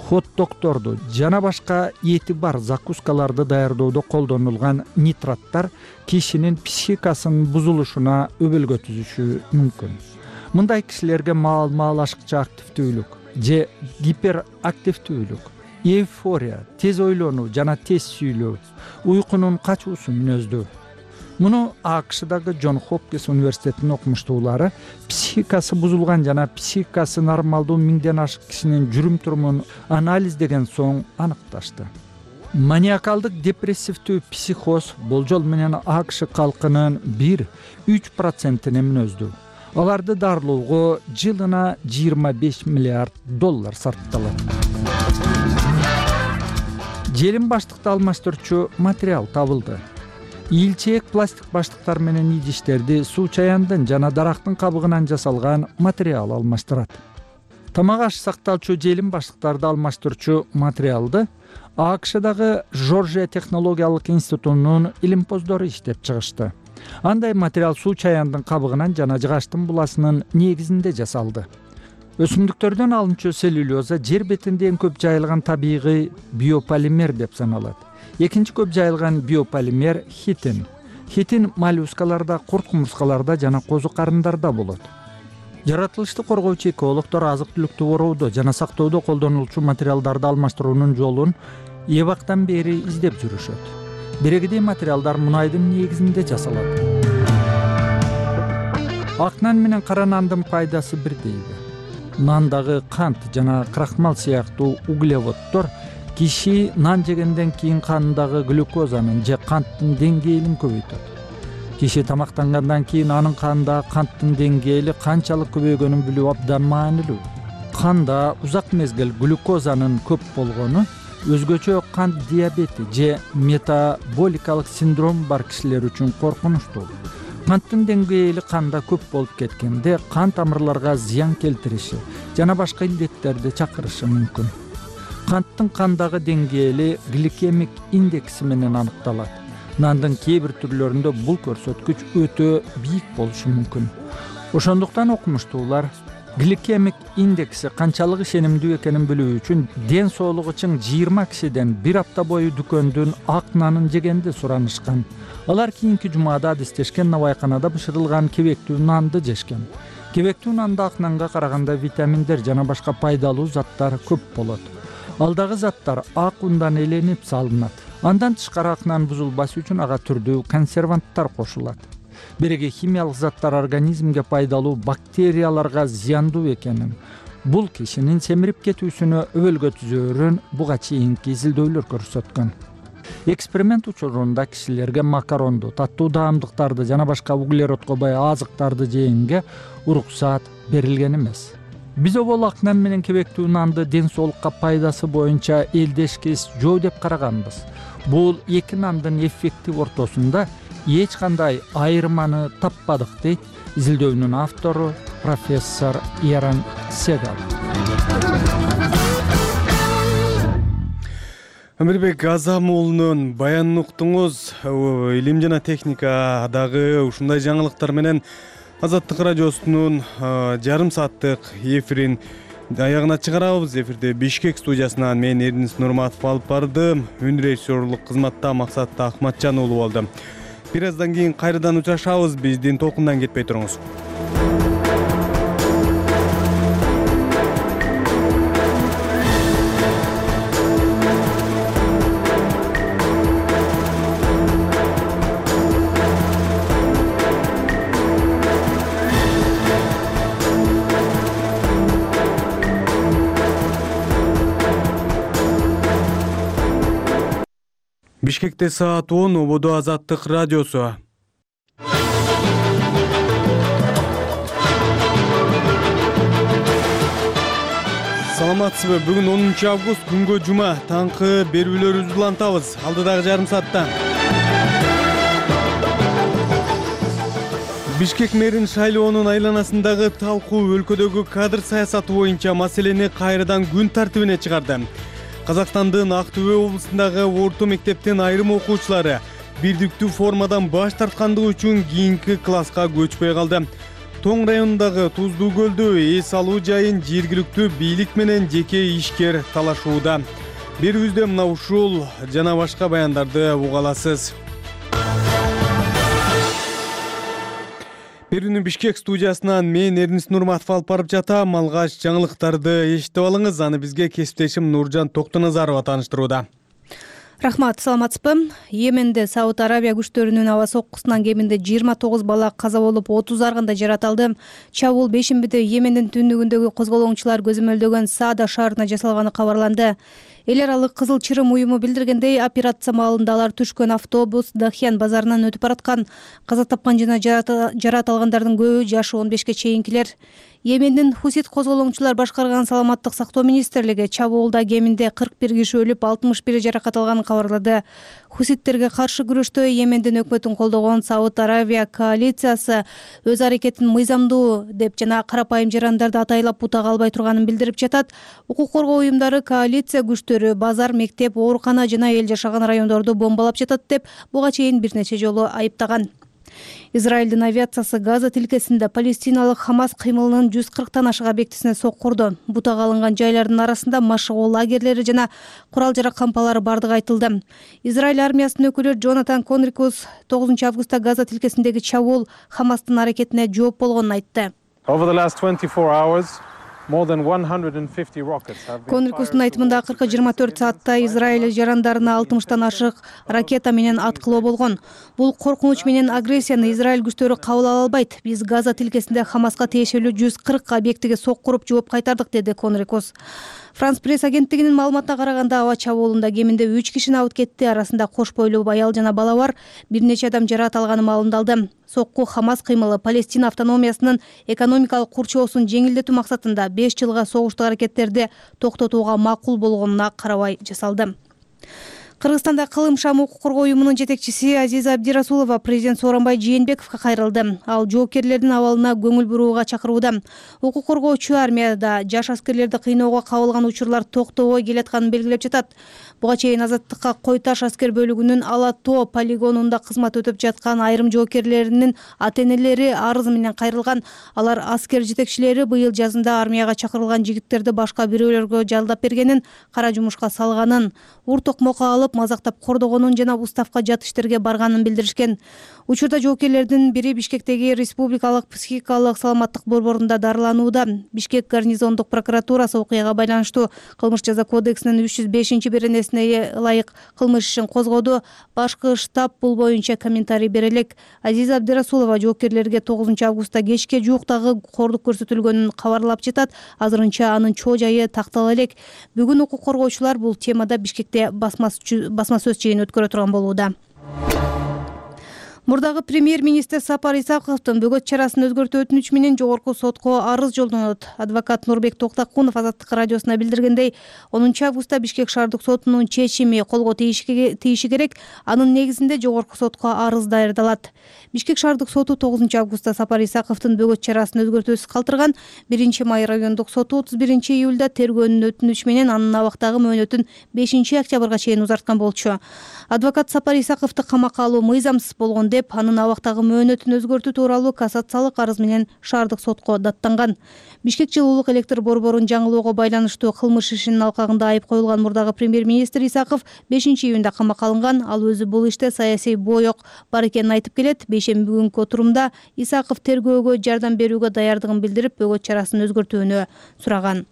хот-догторду жана башка эти бар закускаларды даярдоодо колдонулган нитраттар кишинин психикасынын бузулушуна өбөлгө түзүшү мүмкүн. Мындай кишилерге маал-маал ашыкча активдүүлүк же гиперактивдүүлүк, эйфория, тез ойлонуу жана тез сүйлөө, уйкунун качуусу мүнөздүү. Муну АКШдагы Джон Хопкинс университетинин окумуштуулары психикасы бузулган жана психикасы нормалдуу миңден ашык кишинин жүрүм-турумун анализдеген соң аныкташты. Маниакалдык депрессивдүү психоз болжол менен АКШ калкынын 1-3%-ине мүнөздүү. Аларды дарылоого жылына $25 миллиард сарпталат. Желим баштыкты алмаштырчу материал табылды. Илчек пластик баштыктар менен идиштерди суу чаяндын жана дарактын кабыгынан жасалган материал алмаштырат. Тамак аш сакталчу желим баштыктарды алмаштырчу материалды АКШдагы Жоржия технологиялык институтунун илимпоздору иштеп чыгышты. Андай материал суу чаяндын кабыгынан жана жыгачтын буласынын негизинде жасалды. Өсүмдүктөрдөн алынчу целлюлоза жер бетинде эң көп жайылган табигый биополимер деп саналат. Экинчи көп жайылган биополимер хитин. Хитин моллюскаларда, курт-кумурскаларда жана козу карындарда болот. Жаратылышты коргоочу экологдор азык-түлүктү короодо жана сактоодо колдонулчу материалдарды алмаштыруунун жолун эбактан бери издеп жүрүшөт. Бирегидей материалдар мунайдын негизинде жасалат. Ак нан менен кара нандын пайдасы бирдейби? Нандагы кант жана крахмал сыяктуу углеводдор киши нан жегенден кийин канындагы глюкозанын же канттын деңгээлин көбөйтөт. Киши тамактангандан кийин анын канындагы канттын деңгээли канчалык көбөйгөнүн билүү абдан маанилүү. Канда узак мезгил глюкозанын көп болгону өзгөчө кант диабети же метаболикалык синдром бар кишилер үчүн коркунучтуу. Канттын деңгээли канда көп болуп кеткенде кан тамырларга зыян келтириши жана башка илдеттерди чакырышы мүмкүн. Канттын кандагы деңгээли гликемик индекси менен аныкталат. Нандын кээ бир түрлөрүндө бул көрсөткүч өтө бийик болушу мүмкүн. Ошондуктан окумуштуулар гликемик индекси канчалык ишенимдүү экенин билүү үчүн ден соолугу чың 20 кишиден бир апта бою дүкөндүн ак нанын жегенди суранышкан. Алар кийинки жумада адистешкен набайканада бышырылган кебектүү нанды жешкен. Кебектүү нанда ак нанга караганда витаминдер жана башка пайдалуу заттар көп болот. Алдагы заттар ак ундан эленип салынат. Андан тышкары ак нан бузулбаш үчүн ага түрдүү консерванттар кошулат. Биреги химиялык заттар организмге пайдалуу бактерияларга зыяндуу экенин, бул кишинин семирип кетүүсүнө өбөлгө түзөөрүн буга чейинки изилдөөлөр көрсөткөн. Эксперимент учурунда кишилерге макаронду, таттуу даамдыктарды жана башка углеродко бай азыктарды жегенге уруксаат берилген эмес. Биз обол ак нан менен кебектүү нанды ден соолукка пайдасы боюнча элдешкес жөө деп караганбыз. Бул эки нандын эффектив ортосунда эч кандай айырманы таппадык, дейт изилдөөнүн автору профессор Эрон Сегал. Амирбек Азам уулунун баянын уктуңуз. Илим жана техникадагы ушундай жаңылыктар менен Азаттык радиосунун жарым сааттык эфирин аягына чыгарабыз. Эфирде Бишкек студиясынан мен Эрнис Нурматов алып бардым. Үн режиссерлук кызматта Максат Ахматжан уулу болду. Бир аздан кийин кайрадан учурашабыз. Биздин толкундан кетпей туруңуз. Бишкекте саат 10, Ободо Азаттык радиосу. Саламатсызбы? Бүгүн 10 август, күнгө жума. Таңкы берүүлөрүбүздү улантабыз. Алдыдагы жарым саатта. Бишкек мэрин шайлоонун айланасындагы талкуу өлкөдөгү кадр саясаты боюнча маселени кайрадан күн тартибине чыгарды. Казакстандын Ак Түбө облусундагы орто мектептин айрым окуучулары бирдиктүү формадан баш тарткандыгы үчүн кийинки класска көчпөй калды. Тоң районундагы Туздуу көлдө эс алуу жайын жергиликтүү бийлик менен жеке ишкер талашууда. Берүүбүздө мына ушул жана башка баяндарды уга аласыз. Берүүнү Бишкек студиясынан мен Эрнис Нурматов алып барып жатам. Алгач жаңылыктарды эшитип алыңыз. Аны бизге кесиптешим Нуржан Токтоназарова тааныштырууда. Рахмат, саламатсызбы? Йеменде Сауд Арабия күчтөрүнүн аба соккусунан кеминде 29 бала каза болуп, 30 аргында жаратылды. Чабуул бешембиде Йемендин түндүгүндөгү козголоңчулар көзөмөлдөгөн Саада шаарына жасалганы кабарланды. Эл аралык Кызыл Чырым уюму билдиргендей, операция маалында алар түшкөн автобус Дахьян базарынан өтүп бараткан. Каза тапкан жана жарат алгандардын көбү жашы 15ке чейинкилер. Йемендин Хусит козголоңчулар башкарган саламаттык сактоо министрлиги чабуулда кеминде 41 киши өлүп, 61 жаракат алганын кабарлады. Хуситтерге каршы күрөштө Йемендин өкмөтүн колдогон Сауд Арабия коалициясы өз аракетин мыйзамдуу деп жана карапайым жарандарды атайлап бутага албай турганын билдирип жатат. Укук коргоо уюмдары коалиция күчтөрү базар, мектеп, оорукана жана эл жашаган райондорду бомбалап жатат деп буга чейин бир нече жолу айыптаган. Израилдин авиациясы Газа тилкесинде палестиналык Хамас кыймылынын 140тан ашык объектисине соккурду. Бутага алынган жайлардын арасында машыгуу лагерлери жана курал-жарак кампалары бардыгы айтылды. Израиль армиясынын өкүлү Джонатан Конрикус 9 августта Газа тилкесиндеги чабуул Хамастын аракетине жооп болгонун айтты. Конрикустун айтымында акыркы 24 саатта Израиль жарандарына 60тан ашык ракета менен аткылоо болгон. Бул коркунуч менен агрессияны Израиль күчтөрү кабыл ала албайт. Биз Газа тилкесинде Хамаска тиешелүү 140 объектиге соккуруп жооп кайтардык, деди Конрикус. Франс пресс агенттигинин маалыматына караганда, аба чабуулунда кеминде 3 киши абыт кетти. Арасында кош бойлуу аял жана бала бар. Бир нече адам жаракат алганы маалымдалды. Сокку Хамас кыймылы Палестина автономиясынын экономикалык курчоосун жеңилдетүү максатында 5 жылга согуштук аракеттерди токтотууга макул болгонуна карабай жасалды. Кыргызстанда Кылым Шам укук коргоо уюмунун жетекчиси Азиза Абдирасулова президент Сооронбай Жээнбековго кайрылды. Ал жоокерлердин абалына көңүл бурууга чакырууда. Укук коргоочу армияда жаш аскерлерди кыйноого кабылган учурлар токтобой келатканын белгилеп жатат. Буга чейин Азаттыкка Кой Таш аскер бөлүгүнүн Ала Тоо полигонунда кызмат өтүп жаткан айрым жоокерлеринин ата-энелери арыз менен кайрылган. Алар аскер жетекчилери быйыл жазында армияга чакырылган жигиттерди башка бирөөлөргө жалдап бергенин, кара жумушка салганын, ур токмокко алып мазактап кордогонун жана уставка жат иштерге барганын билдиришкен. Учурда жоокерлердин бири Бишкектеги Республикалык психикалык саламаттык борборунда дарыланууда. Бишкек гарнизондук прокуратурасы окуяга байланыштуу кылмыш жаза кодексинин 305-беренесине ылайык кылмыш ишин козгоду. Башкы штаб бул боюнча комментарий бере элек. Азиза Абдирасулова жоокерлерге 9 августта кечке жууктагы кордук көрсөтүлгөнүн кабарлап жатат. Азырынча анын чоо жайы тактала элек. Бүгүн укук коргоочулар бул темада Бишкекте басма сөз чейин өткөрө турган болууда. Мурдагы премьер-министр Сапар Исаковдун бөгөт чарасын өзгөртүү өтүнүчү менен жогорку сотко арыз жолдонот. Адвокат Нурбек Токтакунов Азаттык радиосуна билдиргендей, 10 августта Бишкек шаардык сотунун чечими колго тийиши керек. Анын негизинде жогорку сотко арыз даярдалат. Бишкек шаардык соту 9 августта Сапар Исаковдун бөгөт чарасын өзгөртүүсүз калтырган. 1-май райондук соту 31 июлда тергөөнүн өтүнүчү менен анын абактагы мөөнөтүн 5 октябрга чейин узарткан болчу. Адвокат Сапар Исаковду камакка алуу мыйзамсыз болгон деп деп анын абактагы мөөнөтүн өзгөртүү тууралуу кассациялык арыз менен шаардык сотко даттанган. Бишкек жылуулук электр борборун жаңылоого байланыштуу кылмыш ишинин алкагында айып коюлган мурдагы премьер-министр Исаков 5-июнда камакка алынган. Ал өзү бул иште саясий боек бар экенин айтып келет. Бейшемби күнкү отурумда Исаков тергөөгө жардам берүүгө даярдыгын билдирип, бөгөт чарасын өзгөртүүнү сураган.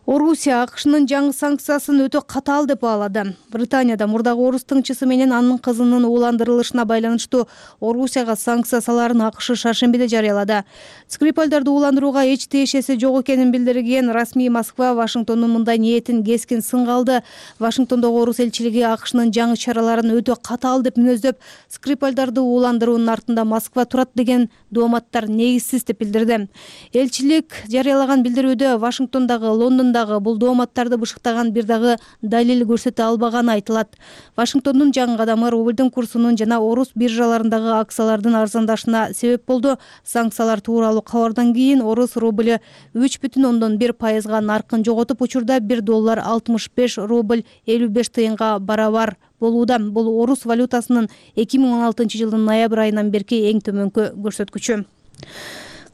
Орусия АКШнын жаңы санкциясын өтө катаал деп баалады. Британияда мурдагы орус тыңчысы менен анын кызынын ууландырылышына байланыштуу Орусияга санкция салаарын АКШ шаршембиде жарыялады. Скрипальдарды ууландырууга эч тиешеси жок экенин билдирген расмий Москва Вашингтондун мындай ниетин кескин сынга алды. Вашингтондогу орус элчилиги АКШнын жаңы чараларын өтө катаал деп мүнөздөп, Скрипальдарды ууландыруунун артында Москва турат деген дооматтар негизсиз деп билдирди. Элчилик жарыялаган билдирүүдө Вашингтондогу, Лондондогу бул дооматтарды бышыктаган бир дагы далил көрсөтө албаганы айтылат. Вашингтондун жаңы кадамы рублдун курсунун жана орус биржаларындагы акциялардын арзандашына себеп болду. Санкциялар тууралуу кабардан кийин орус рубль 3,1% наркын жоготуп, учурда $1 65 рубль 55 тыйынга барабар болууда. Бул орус валютасынын 2016 жылдын ноябрь айынан берки эң төмөнкү көрсөткүчү.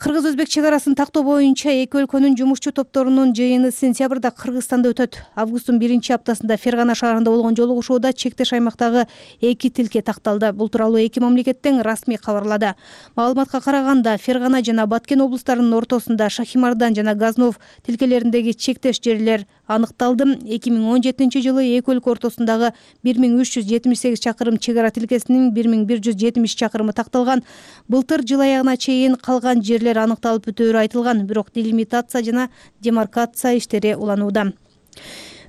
Кыргыз-өзбек чек арасын тактоо боюнча эки өлкөнүн жумушчу топторунун жыйыны сентябрда Кыргызстанда өтөт. Августтун 1-аптасында Фергана шаарында болгон жолугушууда чектеш аймактагы эки тилке такталды. Бул тууралуу эки мамлекеттен расмий кабарлады. Маалыматка караганда, Фергана жана Баткен облустарынын ортосунда Шахимардан жана Газнов тилкелериндеги чектеш жерлер аныкталды. 2017 жылы эки өлкө ортосундагы 1378 чакырым чек ара тилкесинин 1170 чакырымы такталган. Былтыр жыл аягына чейин калган жерлер аныкталып бүтөөрү айтылган, бирок делимитация жана демаркация иштери уланууда.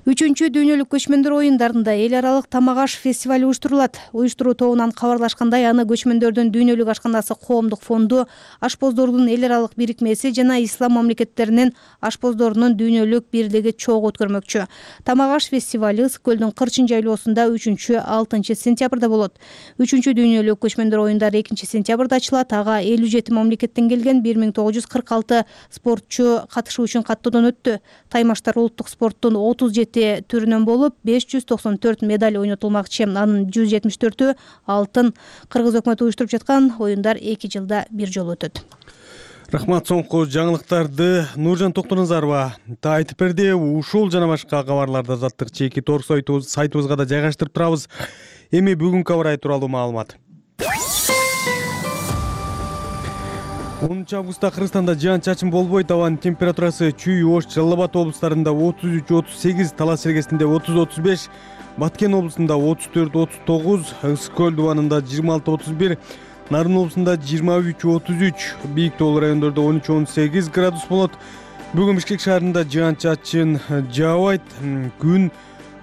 3-чү дүйнөлүк көчмөндөр оюндарында эл аралык тамак аш фестивали уюштурулат. Уюштуруу тобунан кабарлашкандай, аны көчмөндөрдүн дүйнөлүк ашканасы коомдук фонду, ашпоздордун эл аралык бирикмеси жана ислам мамлекеттеринин ашпоздорунун дүйнөлүк бирлиги чогуу өткөрмөкчү. Тамак аш фестивали Ысык көлдүн Кырчын жайлоосунда 3-6 сентябрда болот. 3-чү дүйнөлүк көчмөндөр оюндары 2 сентябрда ачылат. Ага 57 мамлекеттен келген 1946 спортчу катышуу үчүн каттоодон өттү. Таймаштар улуттук спорттун 37 түрүнөн болуп, 594 медаль ойнотулмакчы. Анын 174-ü алтын. Кыргыз өкмөтү уюштуруп жаткан оюндар 2 жылда бир жолу өтөт. Рахмат, соңку жаңылыктарды Нуржан Токтоназарова айтып берди. Ушул жана башка кабарларды азаттык чеки торг сайтыбызга да жайгаштырып турабыз. Эми бүгүнкү аба ырайы тууралуу маалымат. 10 августта Кыргызстанда жаан-чачын болбойт. Абанын температурасы Чүй, Ош, Жалал Абад облустарында 33-38, Талас Сергесинде 30-35, Баткен облусунда 34-39, Ысык көл дубанында 26-31, Нарын облусунда 23-33, бийик тоолуу райондордо 13-18 градус болот. Бүгүн Бишкек шаарында жаан-чачын жаабайт. Күн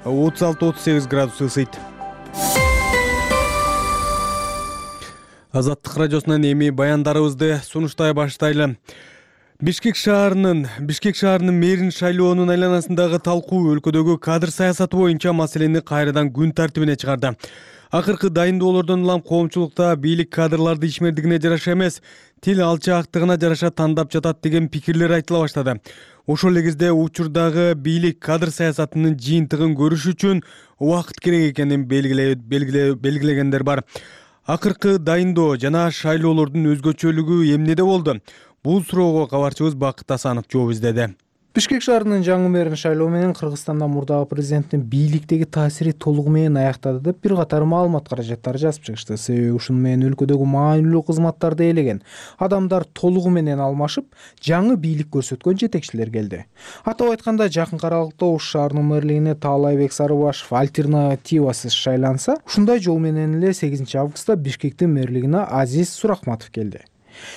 36-38 градус ысыйт. Азаттык радиосунан эми баяндарыбызды сунуштай баштайлы. Бишкек шаарынын мэрин шайлоонун айланасындагы талкуу өлкөдөгү кадр саясаты боюнча маселени кайрадан күн тартибине чыгарды. Акыркы дайындоолордон улам коомчулукта бийлик кадрларды ишмердигине жараша эмес, тил алчаактыгына жараша тандап жатат деген пикирлер айтыла баштады. Ошол эле кезде учурдагы бийлик кадр саясатынын жыйынтыгын көрүш үчүн убакыт керек экенин белгилегендер бар. Акыркы дайындоо жана шайлоолордун өзгөчөлүгү эмнеде болду? Бул суроого кабарчыбыз Бакыт Асанов жооп издеди. Бишкек шаарынын жаңы мэрин шайлоо менен Кыргызстанда мурдагы президенттин бийликтеги таасири толугу менен аяктады деп бир катар маалымат каражаттары жазып чыгышты. Себеби ушуну менен өлкөдөгү маанилүү кызматтарды ээлеген адамдар толугу менен алмашып, жаңы бийлик көрсөткөн жетекчилер келди. Атап айтканда, жакынкы аралыкта Ош шаарынын мэрлигине Таалайбек Сарыбашев альтернативасыз шайланса, ушундай жол менен эле 8 августта Бишкектин мэрлигине Азиз Сурахматов келди.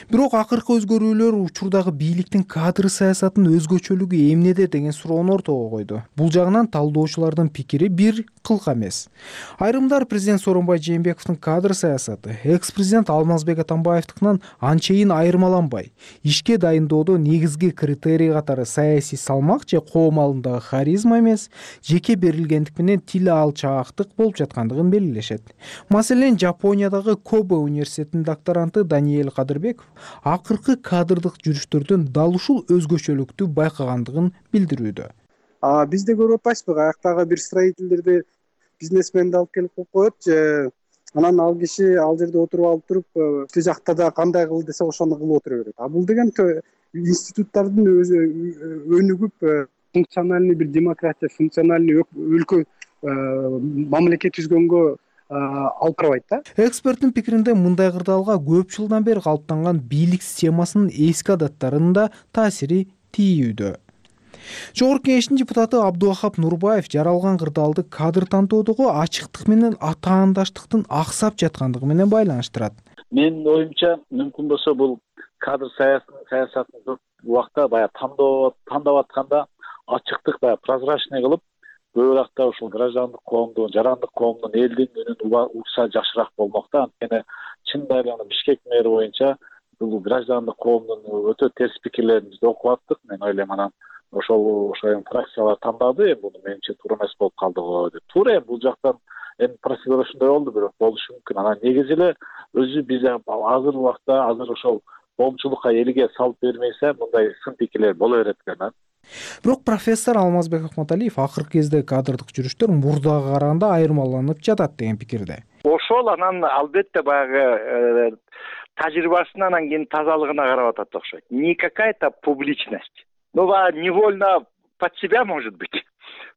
Бирок акыркы өзгөрүүлөр учурдагы бийликтин кадр саясатынын өзгөчөлүгү эмнеде деген суроону ортого койду. Бул жагынан талдоочулардын пикири бир кылка эмес. Айрымдар президент Сооронбай Жээнбековдун кадр саясаты экс-президент Алмазбек Атамбаевдикинен анчейин айырмаланбай, ишке дайындоодо негизги критерий катары саясий салмак же коом алдындагы харизма эмес, жеке берилгендик менен тил алчаактык болуп жаткандыгын белгилешет. Маселен, Жапониядагы Кобе университетинин докторанты Даниэль Кадырбеков акыркы кадрдык жүрүштөрдөн дал ушул өзгөчөлүктү байкагандыгын билдирүүдө. Бизде көрүп атпайсызбы, аяктагы бир строительдерди бизнесменди алып келип коюп коет, же анан ал киши ал жерде отуруп алып туруп тил жакта да кандай кыл десе ошону кылып отура берет. А бул деген институттардын өнүгүп функциональный бир демократия, функциональный өлкө мамлекет түзгөнгө алып барбайт да. Эксперттин пикиринде мындай кырдаалга көп жылдан бери калыптанган бийлик системасынын эски адаттарынын да таасири тийүүдө. Жогорку Кеңештин депутаты Абдувахап Нурбаев жаралган кырдаалды кадр тантоодогу ачыктык менен атаандаштыктын аксап жаткандыгы менен байланыштырат. Менин оюмча мүмкүн болсо бул кадр саясатын көп убакта баягы тандап атканда ачыктык баягы прозрачный кылып, көбүрөөк ушул граждандык коомдун, жарандык коомдун элдин үнүн укса жакшыраак болмок да. Анткени чындап эле Бишкек мэри боюнча бул граждандык коомдун өтө терс пикирлерин биз окуп аттык. Мен ойлойм анан ошол фракциялар тандады, буну менимче туура эмес болуп калды го деп. Туура бул жактан процедура ушундай болду, бирок болушу мүмкүн. Анан негизи эле өзү биз азыр убакта ошол коомчулукка элге салып бермейсе, мындай сын пикирлер боло берет экен. Бирок профессор Алмазбек Акматалиев акыркы кезде кадрдык жүрүштөр мурдага караганда айырмаланып жатат деген пикирде. Ошол анан албетте баягы тажрыйбасына анан кийин тазалыгына карап атат окшойт. Не какая-то публичность. Но невольно под себя, может быть.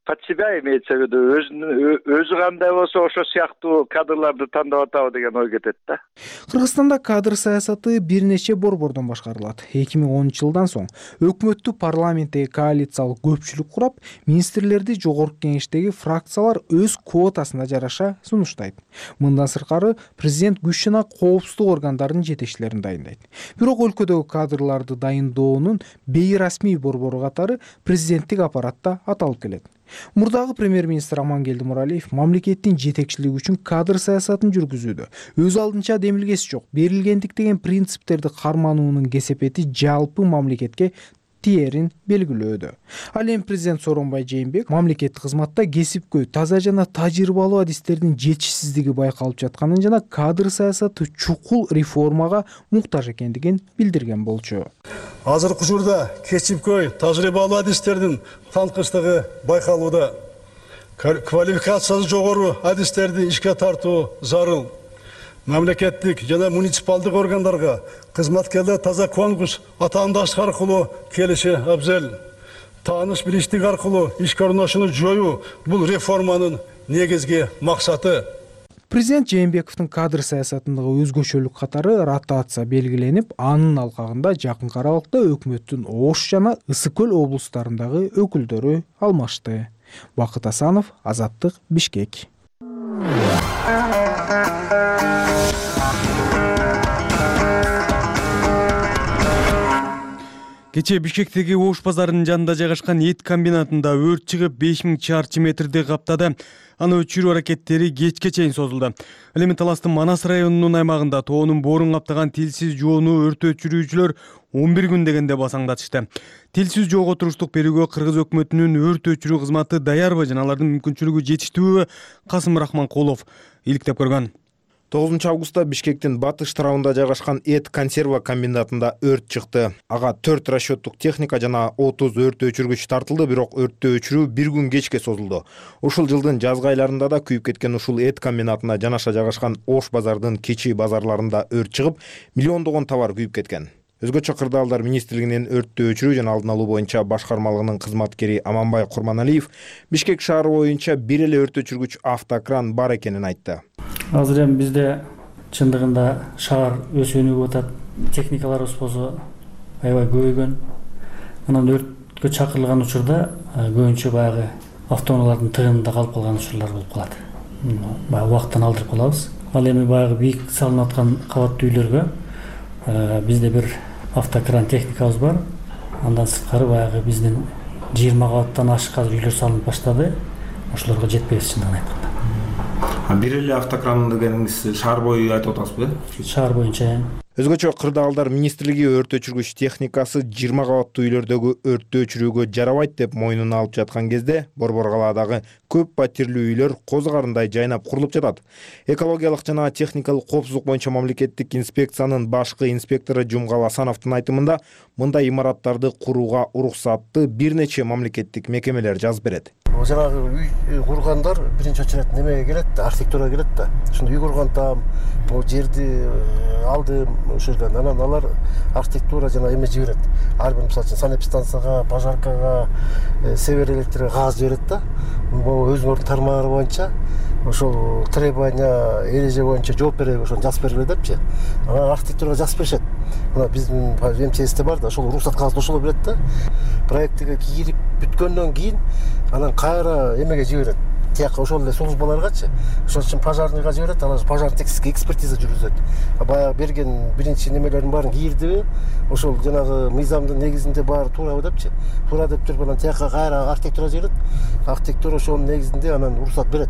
Под себя имеется в виду. Өзү кандай болсо ошо сыяктуу кадрларды тандап атабы деген ой кетет да. Кыргызстанда кадр саясаты бир нече борбордон башкарылат. 2010-жылдан соң өкмөттү парламенттеги коалициялык көпчүлүк курап, министрлерди жогорку кеңештеги фракциялар өз квотасына жараша сунуштайт. Мындан сыркары президент күч жана коопсуздук органдарынын жетекчилерин дайындайт. Бирок өлкөдөгү кадрларды дайындоонун бейрасмий борбору катары президенттик аппаратта аталып келет. Мурдагы премьер-министр Амангелди Муралиев мамлекеттин жетекчилиги үчүн кадр саясатын жүргүзүүдө өз алдынча демилгеси жок, берилгендик деген принциптерди кармануунун кесепети жалпы мамлекетке тиерин белгилөөдө. Ал эми президент Сооронбай Жээнбеков мамлекеттик кызматта кесипкөй, таза жана тажрыйбалуу адистердин жетишсиздиги байкалып жатканын жана кадр саясаты чукул реформага муктаж экендигин билдирген болчу. Азыркы учурда кесипкөй, тажрыйбалуу адистердин танкычтыгы байкалууда. Квалификациясы жогору адистерди ишке тартуу зарыл. Мамлекеттик жана муниципалдык органдарга кызматкерлер таза конкурс, атаандаштык аркылуу келиши абзел. Тааныш билиштик аркылуу ишке орношууну жоюу бул реформанын негизги максаты. Президент Жээнбековдун кадр саясатындагы өзгөчөлүк катары ротация белгиленип, анын алкагында жакынкы аралыкта өкмөттүн Ош жана Ысык көл облустарындагы өкүлдөрү алмашты. Бакыт Асанов, Азаттык, Бишкек. Кечээ Бишкектеги Ош базарынын жанында жайгашкан эт комбинатында өрт чыгып 5000 чарчы метрди каптады. Аны өчүрүү аракеттери кечке чейин созулду. Ал эми Таластын Манас районунун аймагында тоонун боорун каптаган тилсиз жоону өрт өчүрүүчүлөр 11 күн дегенде басаңдатышты. Тилсиз жоого туруштук берүүгө Кыргыз өкмөтүнүн өрт өчүрүү кызматы даярбы жана алардын мүмкүнчүлүгү жетиштүүбү Касым Рахманкулов иликтеп көргөн. 9 августта Бишкектин батыш тарабында жайгашкан эт консерва комбинатында өрт чыкты. Ага 4 расчеттук техника жана 30 өрт өчүргүч тартылды, бирок өрттү өчүрүү 1 күн кечке созулду. Ушул жылдын жазгы айларында да күйүп кеткен ушул эт комбинатына жанаша жайгашкан Ош базардын кечи базарларында өрт чыгып, миллиондогон товар күйүп кеткен. Өзгөчө кырдаалдар министрлигинин өрттү өчүрүү жана алдын алуу боюнча башкармалыгынын кызматкери Аманбай Курманалиев Бишкек шаары боюнча бир эле өрт өчүргүч автокран бар экенин айтты. Азыр эми бизде чындыгында шаар өсүп өнүгүп атат. Техникаларыбыз болсо аябай көбөйгөн. Анан өрткө чакырылган учурда көбүнчө баягы автоунаалардын тыгынында калып калган учурлар болуп калат. Баягы убакыттан алдырып калабыз. Ал эми баягы бийик салынып аткан кабаттуу үйлөргө бизде бир автокран техникабыз бар. Андан сырткары баягы биздин 20 кабаттан ашык азыр үйлөр салынып баштады. Ошолорго жетпейбиз чындыгын айтканда. Бир эле автокран дегениңиз шаар бою айтып атасызбы? Шаар боюнча. Өзгөчө кырдаалдар министрлиги өрт өчүргүч техникасы 20 кабаттуу үйлөрдөгү өрттү өчүрүүгө жарабайт деп мойнуна алып жаткан кезде Борбор калаадагы көп патирлүү үйлөр коз карындай жайнап курулуп жатат. Экологиялык жана техникалык коопсуздук боюнча мамлекеттик инспекциянын башкы инспектору Жумгал Асановдун айтымында, мындай имараттарды курууга уруксатты бир нече мамлекеттик мекемелер жазып берет. Жанагы үй кургандар биринчи очередь немеге келет да, архитектурага келет да. Ошондо үй кургандам, могу жерди алдым ошол жерден. Анан алар архитектура жана эме жиберет. Ар бир мисалы үчүн санэпидстанцияга, пожаркага, север электрге кагаз жиберет да. Могу өзүңөрдүн тармагыңар боюнча ошол требования, эреже боюнча жооп береби, ошону жазып бергиле депчи. Анан архитектурага жазып беришет. Мына биздин МЧСте бар да, ошол уруксат кагазды ошол берет да. Проектиге кирип бүткөндөн кийин анан кайра эмеге жиберет. Тияка ошол эле службаларгачы. Ошол үчүн пожарныйга жиберет, алар пожарный технический экспертиза жүргүзөт. Баягы берген биринчи немелердин баарын кийирдиби, ошол жанагы мыйзамдын негизинде баары туурабы депчи. Туура деп туруп анан тияка кайра архитектура жиберет. Архитектура ошонун негизинде анан уруксат берет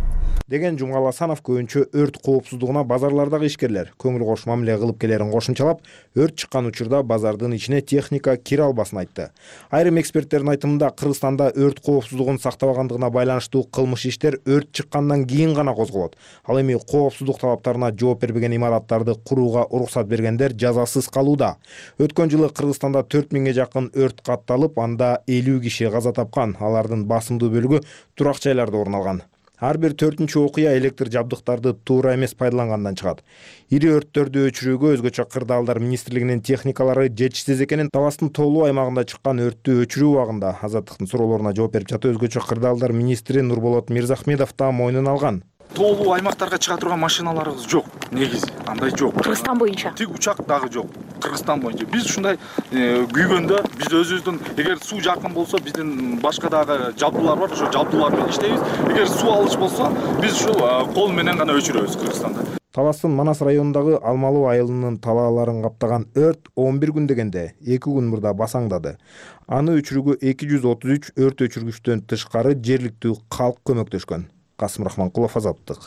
деген Жумгал Асанов көбүнчө өрт коопсуздугуна базарлардагы ишкерлер көңүл кош мамиле кылып келерин кошумчалап, өрт чыккан учурда базардын ичине техника кире албасын айтты. Айрым эксперттердин айтымында, Кыргызстанда өрт коопсуздугун сактабагандыгына байланыштуу кылмыш иштер өрт чыккандан кийин гана козголот. Ал эми коопсуздук талаптарына жооп бербеген имараттарды курууга уруксат бергендер жазасыз калууда. Өткөн жылы Кыргызстанда 4000ге жакын өрт катталып, анда 50 киши каза тапкан. Алардын басымдуу бөлүгү турак жайларда орун алган. Ар бир 4-чү окуя электр жабдыктарды туура эмес пайдалангандан чыгат. Ири өрттөрдү өчүрүүгө өзгөчө кырдаалдар министрлигинин техникалары жетишсиз экенин, Таластын тоолуу аймагында чыккан өрттү өчүрүү убагында Азаттыктын суроолоруна жооп берип жатып, өзгөчө кырдаалдар министри Нурболот Мирзахмедов да мойнуна алган. Тоолуу аймактарга чыга турган машиналарыбыз жок, негизи андай жок. Кыргызстан боюнча тик учак дагы жок. Кыргызстан боюнча биз ушундай күйгөндө, биз өзүбүздүн эгер суу жакын болсо, биздин башка дагы жабдуулар бар, ошо жабдуулар менен иштейбиз. Эгер суу алыч болсо, биз ушул кол менен гана өчүрөбүз Кыргызстанда. Таластын Манас районундагы Алмалуу айылынын талааларын каптаган өрт 11 күн дегенде 2 күн мурда басаңдады. Аны өчүрүүгө 233 өрт өчүргүчтөн тышкары жергиликтүү калк көмөктөшкөн. Касым Рахманкулов, Азаттык.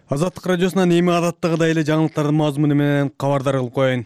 Азаттык радиосунан эми адаттагыдай эле жаңылыктардын мазмуну менен кабардар кылып коеюн.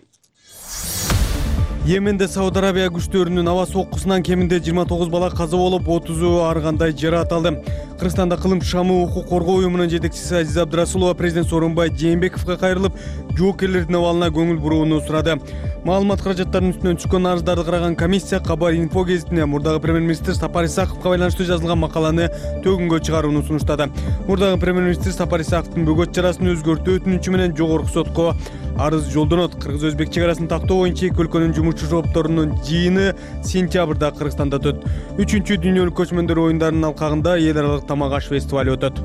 Йеменде Сауд Арабия күчтөрүнүн аба соккусунан кеминде 29 бала каза болуп, 30-у ар кандай жаракат алды. Кыргызстанда Кылым Шамы укук коргоо уюмунун жетекчиси Азиз Абдрасулова президент Сооронбай Жээнбековго кайрылып, жоокерлердин абалына көңүл бурууну сурады. Маалымат каражаттарынын үстүнөн түшкөн арыздарды караган комиссия Кабар инфо гезитине мурдагы премьер-министр Сапар Исаковго байланыштуу жазылган макаланы төгүнгө чыгарууну сунуштады. Мурдагы премьер-министр Сапар Исаковдун бөгөт чарасын өзгөртүү өтүнүчү менен жогорку сотко арыз жолдонот. Кыргыз-өзбек чек арасын тактоо боюнча эки өлкөнүн жумушчу жопторунун жыйыны сентябрда Кыргызстанда өтөт. 3-чү дүйнөлүк көчмөндөр оюндарынын алкагында эл аралык тамак аш фестиваль өтөт.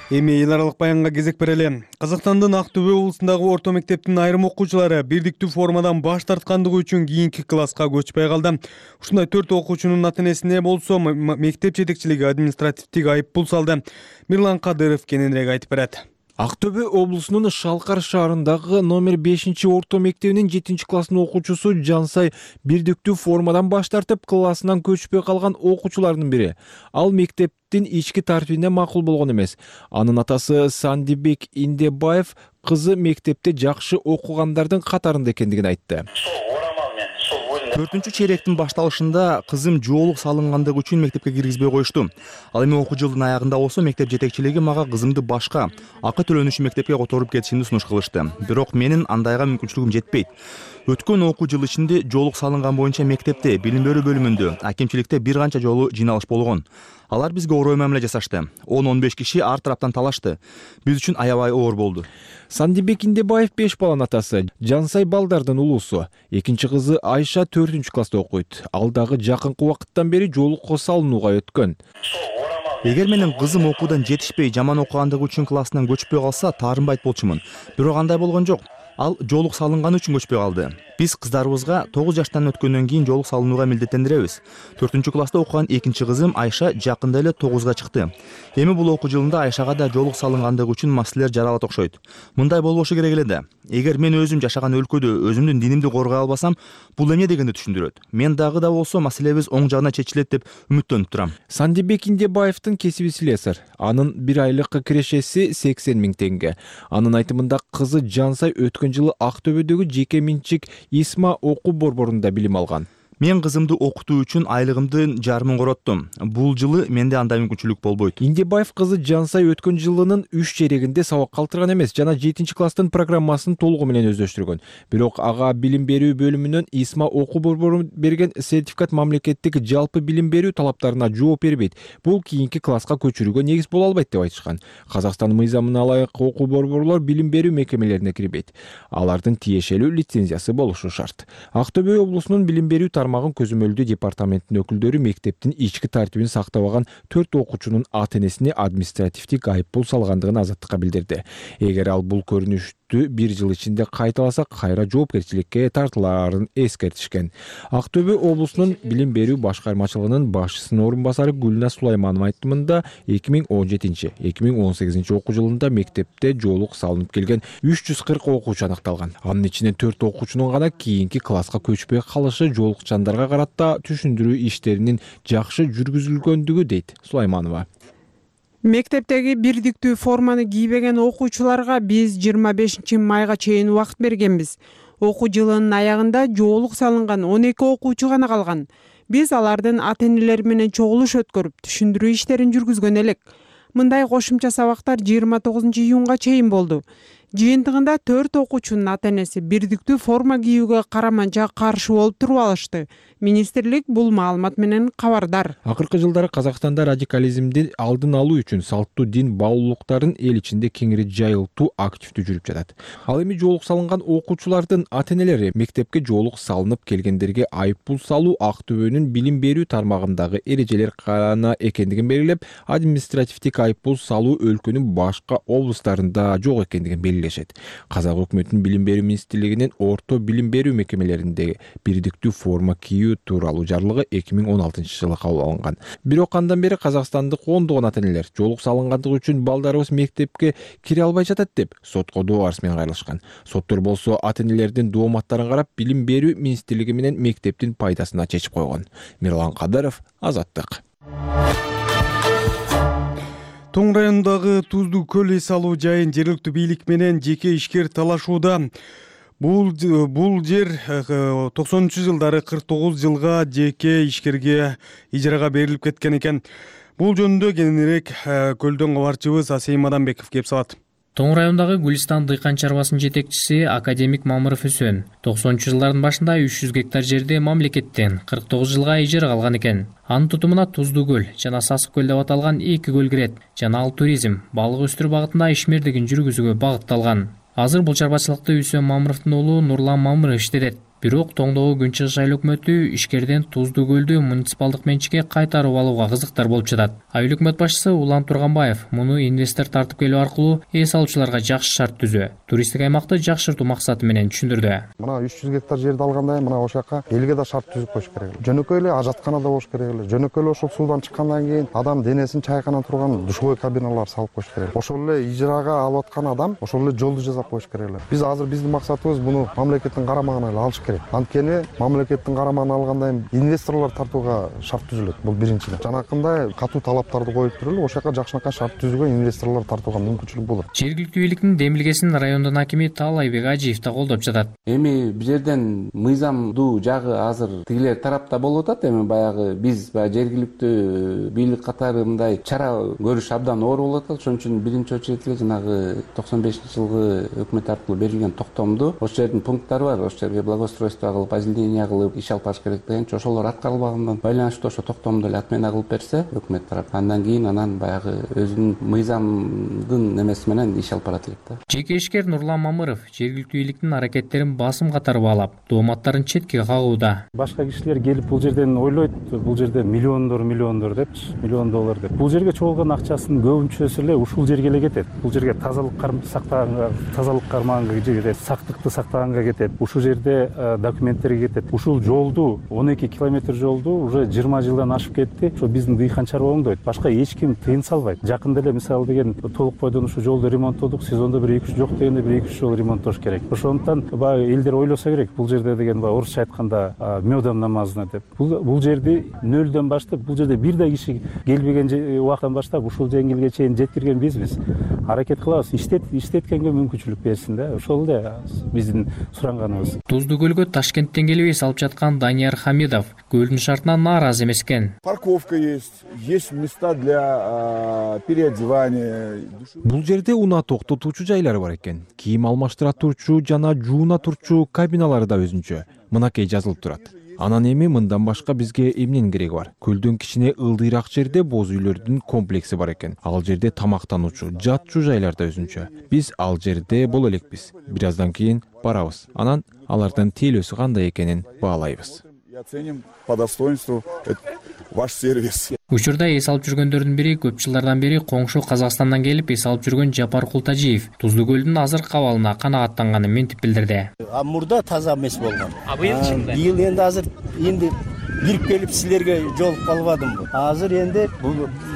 Эми эл аралык баянга кезек берели. Казакстандын Актөбө облусундагы орто мектептин айрым окуучулары бирдиктүү формадан баш тарткандыгы үчүн кийинки класска көчпөй калды. Ушундай 4 окуучунун ата-энесине болсо мектеп жетекчилиги административдик айыппул салды. Мирлан Кадыров кененирээк айтып берет. Актөбө облусунун Шалкар шаарындагы номер 5-орто мектебинин 7-класстын окуучусу Жансай бирдиктүү формадан баш тартып, классынан көчпөй калган окуучулардын бири. Ал мектептин ички тартибине макул болгон эмес. Анын атасы Сандибек Индебаев кызы мектепте жакшы окугандардын катарында экендигин айтты. 4-чейректин башталышында кызым жоолук салынгандыгы үчүн мектепке киргизбей коюшту. Ал эми окуу жылдын аягында болсо мектеп жетекчилиги мага кызымды башка акы төлөнүшү мектепке которуп кетишимди сунуш кылышты. Бирок менин андайга мүмкүнчүлүгүм жетпейт. Өткөн окуу жыл ичинде жоолук салынган боюнча мектепте, билим берүү бөлүмүндө, акимчиликте бир канча жолу жыйналыш болгон. Алар бизге орой мамиле жасашты. 10-15 киши ар тараптан талашты. Биз үчүн аябай оор болду. Сандибек Индебаев 5 баланын атасы, Жансай балдардын улуусу. Экинчи кызы Айша 4-класста окуйт. Ал дагы жакынкы убакыттан бери жоолукка салынууга өткөн. Эгер менин кызым окуудан жетишпей, жаман окугандыгы үчүн классынан көчпөй калса, таарынбайт болчумун. Бирок андай болгон жок. Ал жоолук салынганы үчүн көчпөй калды. Биз кыздарыбызга 9 жаштан өткөндөн кийин жоолук салынууга милдеттендиребиз. 4-класста окуган экинчи кызым Айша жакында эле 9га чыкты. Эми бул окуу жылында Айшага да жоолук салынгандыгы үчүн маселелер жаралат окшойт. Мындай болбошу керек эле да. Эгер мен өзүм жашаган өлкөдө өзүмдүн динимди коргой албасам, бул эмне дегенди түшүндүрөт. Мен дагы да болсо маселебиз оң жагына чечилет деп үмүттөнүп турам. Сандибек Индебаевдин кесиби слесарь. Анын бир айлык кирешеси 80 000 теңге. Анын айтымында кызы Жансай өткөн жылы Актөбөдөгү жеке менчик Исма окуу борборунда билим алган. Мен кызымды окутуу үчүн айлыгымдын жарымын короттум. Бул жылы менде андай мүмкүнчүлүк болбойт. Индебаев кызы Жансай өткөн жылынын 3 жерегинде сабак калтырган эмес, жана 7 класстын программасын толугу менен өздөштүргөн. Бирок ага билим берүү бөлүмүнөн ИСМА окуу борбору берген сертификат мамлекеттик жалпы билим берүү талаптарына жооп бербейт. Бул кийинки класска көчүрүүгө негиз боло албайт деп айтышкан. Казакстан мыйзамына ылайык окуу борборлор билим берүү мекемелерине кирбейт. Алардын тиешелүү лицензиясы болушу шарт. Актөбө облусунун билим берүү тармагын көзөмөлдөө департаментинин өкүлдөрү мектептин ички тартибин сактабаган 4 окуучунун ата-энесине административдик айыппул салгандыгын Азаттыкка билдирди. Эгер ал бул көрүнүштү 1 жыл ичинде кайталаса, кайра жоопкерчиликке тартылаарын эскертишкен. Актөбө облусунун билим берүү башкармачылыгынын башчысынын орун басары Гүлназ Сулайманова айтымында 2017-2018 окуу жылында мектепте жоолук салынып келген 340 окуучу аныкталган. Анын ичинен 4 окуучунун гана кийинки класска көчпөй калышы жоолукчандарга карата түшүндүрүү иштеринин жакшы жүргүзүлгөндүгү дейт Сулайманова. Мектептеги бирдиктүү форманы кийбеген окуучуларга биз 25 майга чейин убакыт бергенбиз. Окуу жылынын аягында жоолук салынган 12 окуучу гана калган. Биз алардын ата-энелери менен чогулуш өткөрүп, түшүндүрүү иштерин жүргүзгөн элек. Мындай кошумча сабактар 29 июнга чейин болду. Жыйынтыгында 4 окуучунун ата-энеси бирдиктүү форма кийүүгө караманча каршы болуп туруп алышты. Министрлик бул маалымат менен кабардар. Акыркы жылдары Казакстанда радикализмди алдын алуу үчүн салттуу дин баулуулуктарын эл ичинде кеңири жайылтуу активдүү жүрүп жатат. Ал эми жоолук салынган окуучулардын ата-энелери мектепке жоолук салынып келгендерге айыппул салуу Актөбөнүн билим берүү тармагындагы эрежелер гана экендигин белгилеп, административдик айыппул салуу өлкөнүн башка облустарында жок экендигин белгилешет. Казак өкмөтүнүн билим берүү министрлигинин орто билим берүү мекемелеринде бирдиктүү форма кийүү тууралуу жарлыгы 2016 жылы кабыл алынган. Бирок андан бери казакстандык ондогон ата-энелер жоолук салынгандыгы үчүн балдарыбыз мектепке кире албай жатат деп сотко доо арыз менен кайрылышкан. Соттор болсо ата-энелердин дооматтарын карап, билим берүү министрлиги менен мектептин пайдасына чечип койгон. Мирлан Кадыров, Азаттык. Тоң районундагы Туздуу көл эс алуу жайын жергиликтүү бийлик менен жеке ишкер талашууда. Бул жер 90-жылдары 49 жылга жеке ишкерге ижарага берилип кеткен экен. Бул жөнүндө кененирээк көлдөн кабарчыбыз Асейим Адамбеков кеп салат. Тоң райондагы Гүлистан дыйкан чарбасынын жетекчиси академик Мамыров Үсөн 90-жылдардын башында 300 гектар жерди мамлекеттен 49 жылга ижарага алган экен. Анын тутумуна Туздуу көл жана Сасык көл деп аталган 2 көл кирет. Жана ал туризм, балык өстүрүү багытында ишмердигин жүргүзүүгө багытталган. Азыр бул чарбачылыкты Үсөн Мамыровдун уулу Нурлан Мамыров иштетет. Бирок Тоңдогу Күнчыгыш айыл өкмөтү ишкерден Туздуу көлдү муниципалдык менчикке кайтарып алууга кызыктар болуп жатат. Айыл өкмөт башчысы Улан Турганбаев муну инвестор тартып келүү аркылуу эс алуучуларга жакшы шарт түзүү, туристтик аймакты жакшыртуу максаты менен түшүндүрдү. Мына 300 гектар жерди алгандай, мына ошол жака элге да шарт түзүп коюш керек. Жөнөкөй эле ажаткана да болуш керек эле. Жөнөкөй эле ошол суудан чыккандан кийин адам денесин чайкана турган душевой кабиналар салып коюш керек. Ошол эле ижарага алып аткан адам ошол эле жолду жасап коюш керек эле. Биз азыр биздин максатыбыз муну мамлекеттин карамагына эле алыш керек. Анткени мамлекеттин карамагына алгандан кийин инвесторлор тартууга шарт түзүлөт. Бул биринчиден. Жанакындай катуу талаптарды коюп туруп эле ошол жака жакшынакай шарт түзүүгө инвесторлор тартууга мүмкүнчүлүк болот. Жергиликтүү бийликтин демилгесин райондун акими Таалайбек Ажиев да колдоп жатат. Эми бул жерден мыйзамдуу жагы азыр тигилер тарапта болуп атат. Эми баягы биз жергиликтүү бийлик катары мындай чара көрүш абдан оор болуп атат. Ошон үчүн биринчи очередь эле жанагы 95-жылгы өкмөт аркылуу берилген токтомду ошол жердин пункттары бар. Ошол жерге благоустройство кылып, озеленение кылып иш алып барыш керек дегенчи ошолор аткарылбагандан байланыштуу ошо токтомду эле отмена кылып берсе өкмөт тарап, андан кийин анан баягы өзүнүн мыйзамдын немеси менен иш алып барат элек да. Жеке ишкер Нурлан Мамыров жергиликтүү бийликтин аракеттерин басым катары баалап, дооматтарын четке кагууда. Башка кишилер келип бул жерден ойлойт, бул жерде миллиондор депчи, миллион доллар деп. Бул жерге чогулган акчасынын көбүнчөсү эле ушул жерге эле кетет. Бул жерге тазалык кармаганга кетет, сактыкты сактаганга кетет. Ушул жерде документтерге кетет. Ушул жолду 12 километр жолду уже 20 жылдан ашып кетти. Ошо биздин дыйкан чарба оңдойт. Башка эч ким тыйын салбайт. Жакында эле мисалы деген толук бойдон ушул жолду ремонттодук. Сезондо бир 2-3 жок дегенде бир 2-3 жол ремонттош керек. Ошондуктан баягы элдер ойлосо керек. Бул жерде деген орусча айтканда мёдом намазына деп. Бул жерди нөлдөн баштап, бул жерде бир да киши келбеген убакыттан баштап ушул жеңилге чейин жеткирген бизбиз. Аракет кылабыз, иштеткенге мүмкүнчүлүк берсин да. Ошол эле биздин суранганыбыз. Туздуу көлгө көргөзмөлөргө Ташкенттен келип эс алып жаткан Данияр Хамидов көлдүн шартынан нааразы эмес экен. Парковка есть места для переодевания. Бул жерде унаа токтотуучу жайлар бар экен. Кийим алмаштыра турчу жана жууна турчу кабиналары да өзүнчө. Мынакей жазылып турат. Анан эми мындан башка бизге эмненин кереги бар? Көлдүн кичине ылдыйраак жерде боз үйлөрдүн комплекси бар экен. Ал жерде тамактануучу, жатчу жайлар да өзүнчө. Биз ал жерде боло элекпиз. Бир аздан кийин барабыз. Анан алардын тейлөөсү кандай экенин баалайбыз. Оценим по достоинству ваш сервис. Учурда эс алып жүргөндөрдүн бири көп жылдардан бери коңшу Казакстандан келип эс алып жүргөн Жапар Култажиев Туздуу көлдүн азыркы абалына канагаттанганын мынтип билдирди. Мурда таза эмес болгон. Быйыл энди азыр кирип келип силерге жолугуп калбадым. Азыр энди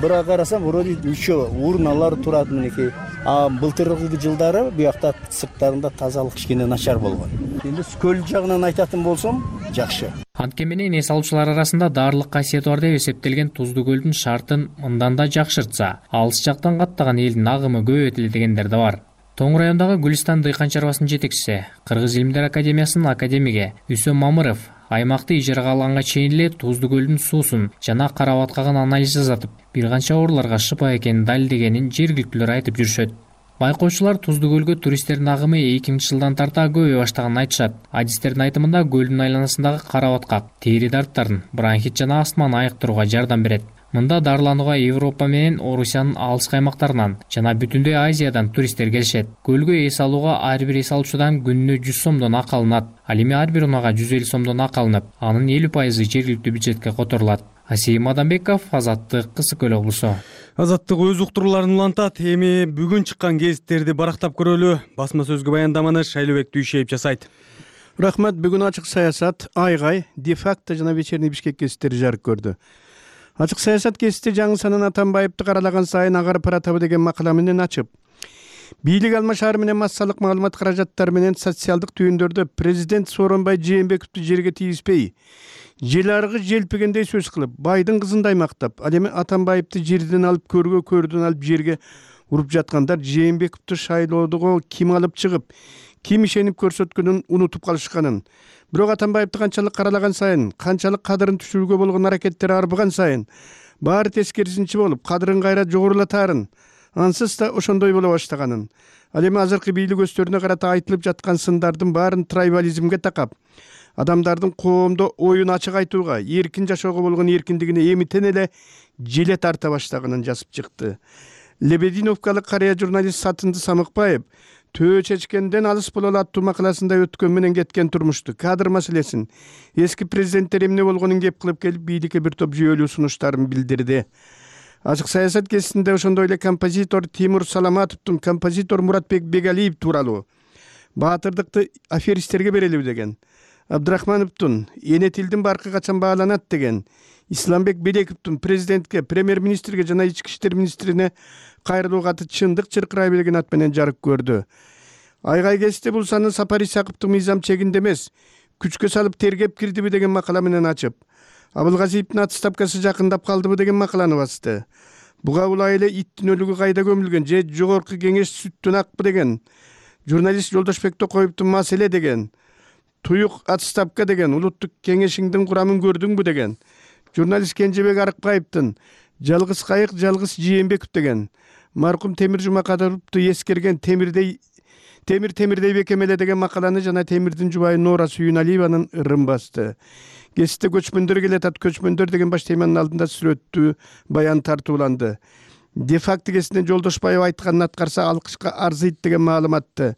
бирок карасам вроде ничего урналар турат минекей. Былтыркы жылдары буякта сырттарында тазалык кичине начар болгон. Энди көл жагынан айтатын болсом жакшы. Антке менен эс алуучулар арасында даарылык касиети бар деп эсептелген Туздуу көлдүн шартын мындан да жакшыртса, алыс жактан каттаган элдин агымы көбөйтүлө дегендер да бар. Тоң райондагы Гүлистан дыйкан чарбасынын жетекчиси, Кыргыз илимдер академиясынын академиги Үсөм Мамыров аймакты ижарага алганга чейин эле Туздуу көлдүн суусун жана кара баткагын анализ жасатып, бир канча ооруларга шыпа экенин далилдегенин жергиликтүүлөр айтып жүрүшөт. Байкоочулар Туздуу көлгө туристтердин агымы 2000-жылдан тарта көбөйө баштаганын айтышат. Адистердин айтымында көлдүн айланасындагы кара баткак тери дарттарын, бронхит жана астманы айыктырууга жардам берет. Мында дарыланууга Европа менен Орусиянын алыскы аймактарынан жана бүтүндөй Азиядан туристтер келишет. Көлгө эс алууга ар бир эс алуучудан күнүнө 100 сомдон акы алынат. Ал эми ар бир унаага 150 сомдон акы алынып, анын 50% жергиликтүү бюджетке которулат. Асийим Адамбеков, Азаттык, Кысык Көл облусу. Азаттык өз уктурууларын улантат. Эми бүгүн чыккан гезиттерди барактап көрөлү. Басма сөзгө баяндаманы Шайлообек Дүйшеев жасайт. Рахмат. Бүгүн ачык саясат, айгай, де-факто жана вечерний Бишкек гезиттери жарык көрдү. Ачык саясат гезити жаңы санын Атамбаевди каралаган сайын агарып баратабы деген макала менен ачып, бийлик алмашаар менен массалык маалымат каражаттары менен социалдык түйүндөрдө президент Сооронбай Жээнбековду жерге тийгизбей, жел аргы желпигендей сөз кылып, байдын кызындай мактап, ал эми Атамбаевди жерден алып көргө, көрдөн алып жерге уруп жаткандар Жээнбековду шайлоодого ким алып чыгып, ким ишенип көрсөткөнүн унутуп калышканын, бирок Атамбаевди канчалык каралаган сайын, канчалык кадырын түшүрүүгө болгон аракеттери арбыган сайын, баары тескерисинчи болуп, кадырын кайра жогорулатаарын, ансыз да ошондой боло баштаганын, ал эми азыркы бийлик өстөрүнө карата айтылып жаткан сындардын баарын трайбализмге такап, адамдардын коомдо оюн ачык айтууга, эркин жашоого болгон эркиндигине эмитен эле желе тарта баштаганын жазып чыкты. Лебединовкалык карыя журналист Сатынды Самыкбаев Төө чечкенден алыс бололу аттуу макаласында өткөн менен кеткен турмушту, кадр маселесин, эски президенттер эмне болгонун кеп кылып келип бийликке бир топ жүйөлүү сунуштарын билдирди. Ачык саясат гезитинде ошондой эле композитор Тимур Саламатовдун композитор Муратбек Бегалиев тууралуу баатырдыкты аферисттерге берелиби деген, Абдрахмановдун эне тилдин баркы качан бааланат деген, Исламбек Белековдун президентке, премьер-министрге жана ички иштер министрине кайрылуу каты чындык чыркырай берген ат менен жарык көрдү. Айгай гезити бул санын Сапар Исаковдун мыйзам чегинде эмес, күчкө салып тергеп кирдиби деген макала менен ачып, Абылгазиевдин отставкасы жакындап калдыбы деген макаланы басты. Буга улай эле иттин өлүгү кайда көмүлгөн же жогорку кеңеш сүттөн акпы деген, журналист Жолдошбек Токоевдун маселе деген, туюк отставка деген, улуттук кеңешиңдин курамын көрдүңбү деген, журналист Кенжебек Арыкбаевдин жалгыз кайык, жалгыз Жээнбеков деген, маркум Темир Жумакадыровду эскерген темирдей бекемеле деген макаланы жана Темирдин жубайы Нора Сүйүналиеванын ырын басты. Гезитте көчмөндөр келатат, көчмөндөр деген баш теманын алдында сүрөттүү баян тартууланды. Де-факто гезитинен Жолдошбаев айтканын аткарса алкышка арзыйт деген маалыматты.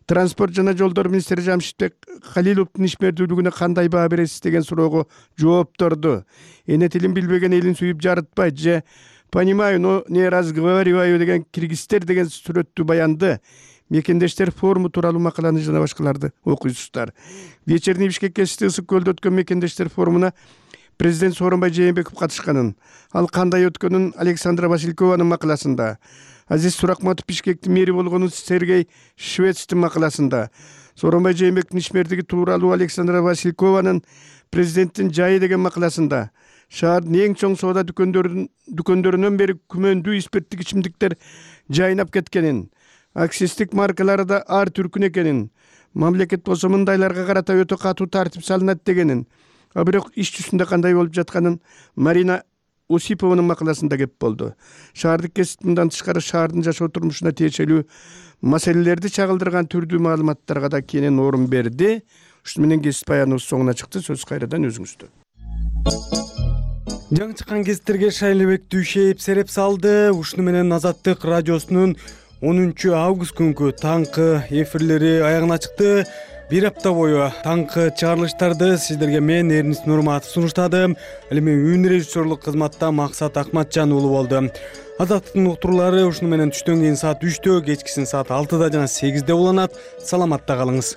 Транспорт жана жолдор министри Жамшитбек Халиловдун ишмердүүлүгүнө кандай баа бересиз деген суроого жоопторду. Эне тилин билбеген элин сүйүп жарытпайт же понимаю, но не разговариваю деген киргизтер деген сүрөттүү баянды мекендештер форуму тууралуу макаланы жана башкаларды окуйсуздар. Вечерний Бишкек гезити Ысык көлдө өткөн мекендештер форумуна президент Сооронбай Жээнбеков катышканын, ал кандай өткөнүн Александра Василькованын макаласында, Азиз Суракматов Бишкектин мэри болгонун Сергей Швецтин макаласында, Сооронбай Жээнбековдун ишмердиги тууралуу Александра Василькованын президенттин жайы деген макаласында, шаардын эң чоң соода дүкөндөрүнөн бери күмөндүү спирттик ичимдиктер жайнап кеткенин, акцистик маркалары да ар түркүн экенин, мамлекет болсо мындайларга карата өтө катуу тартип салынат дегенин, а бирок иш жүзүндө кандай болуп жатканын Марина Осипованын макаласында кеп болду. Шаардык кесип мындан тышкары шаардын жашоо турмушуна тиешелүү маселелерди чагылдырган түрдүү маалыматтарга да кенен орун берди. Ушуну менен кесип баяныбыз соңуна чыкты. Сөз кайрадан өзүңүздө. Жаңы чыккан кесиптерге Шайлебек Дүйшеев сереп салды. Ушуну менен Азаттык радиосунун 10 август күнкү таңкы эфирлери аягына чыкты. Бир апта бою таңкы чыгарылыштарды сиздерге мен Эрнис Нурматов сунуштадым. Ал эми үн режиссерлук кызматта Максат Акматжан уулу болду. Азаттыктын уктуруулары ушуну менен түштөн кийин саат 3-тө, кечкисин саат 6-да жана 8-де уланат. Саламатта калыңыз.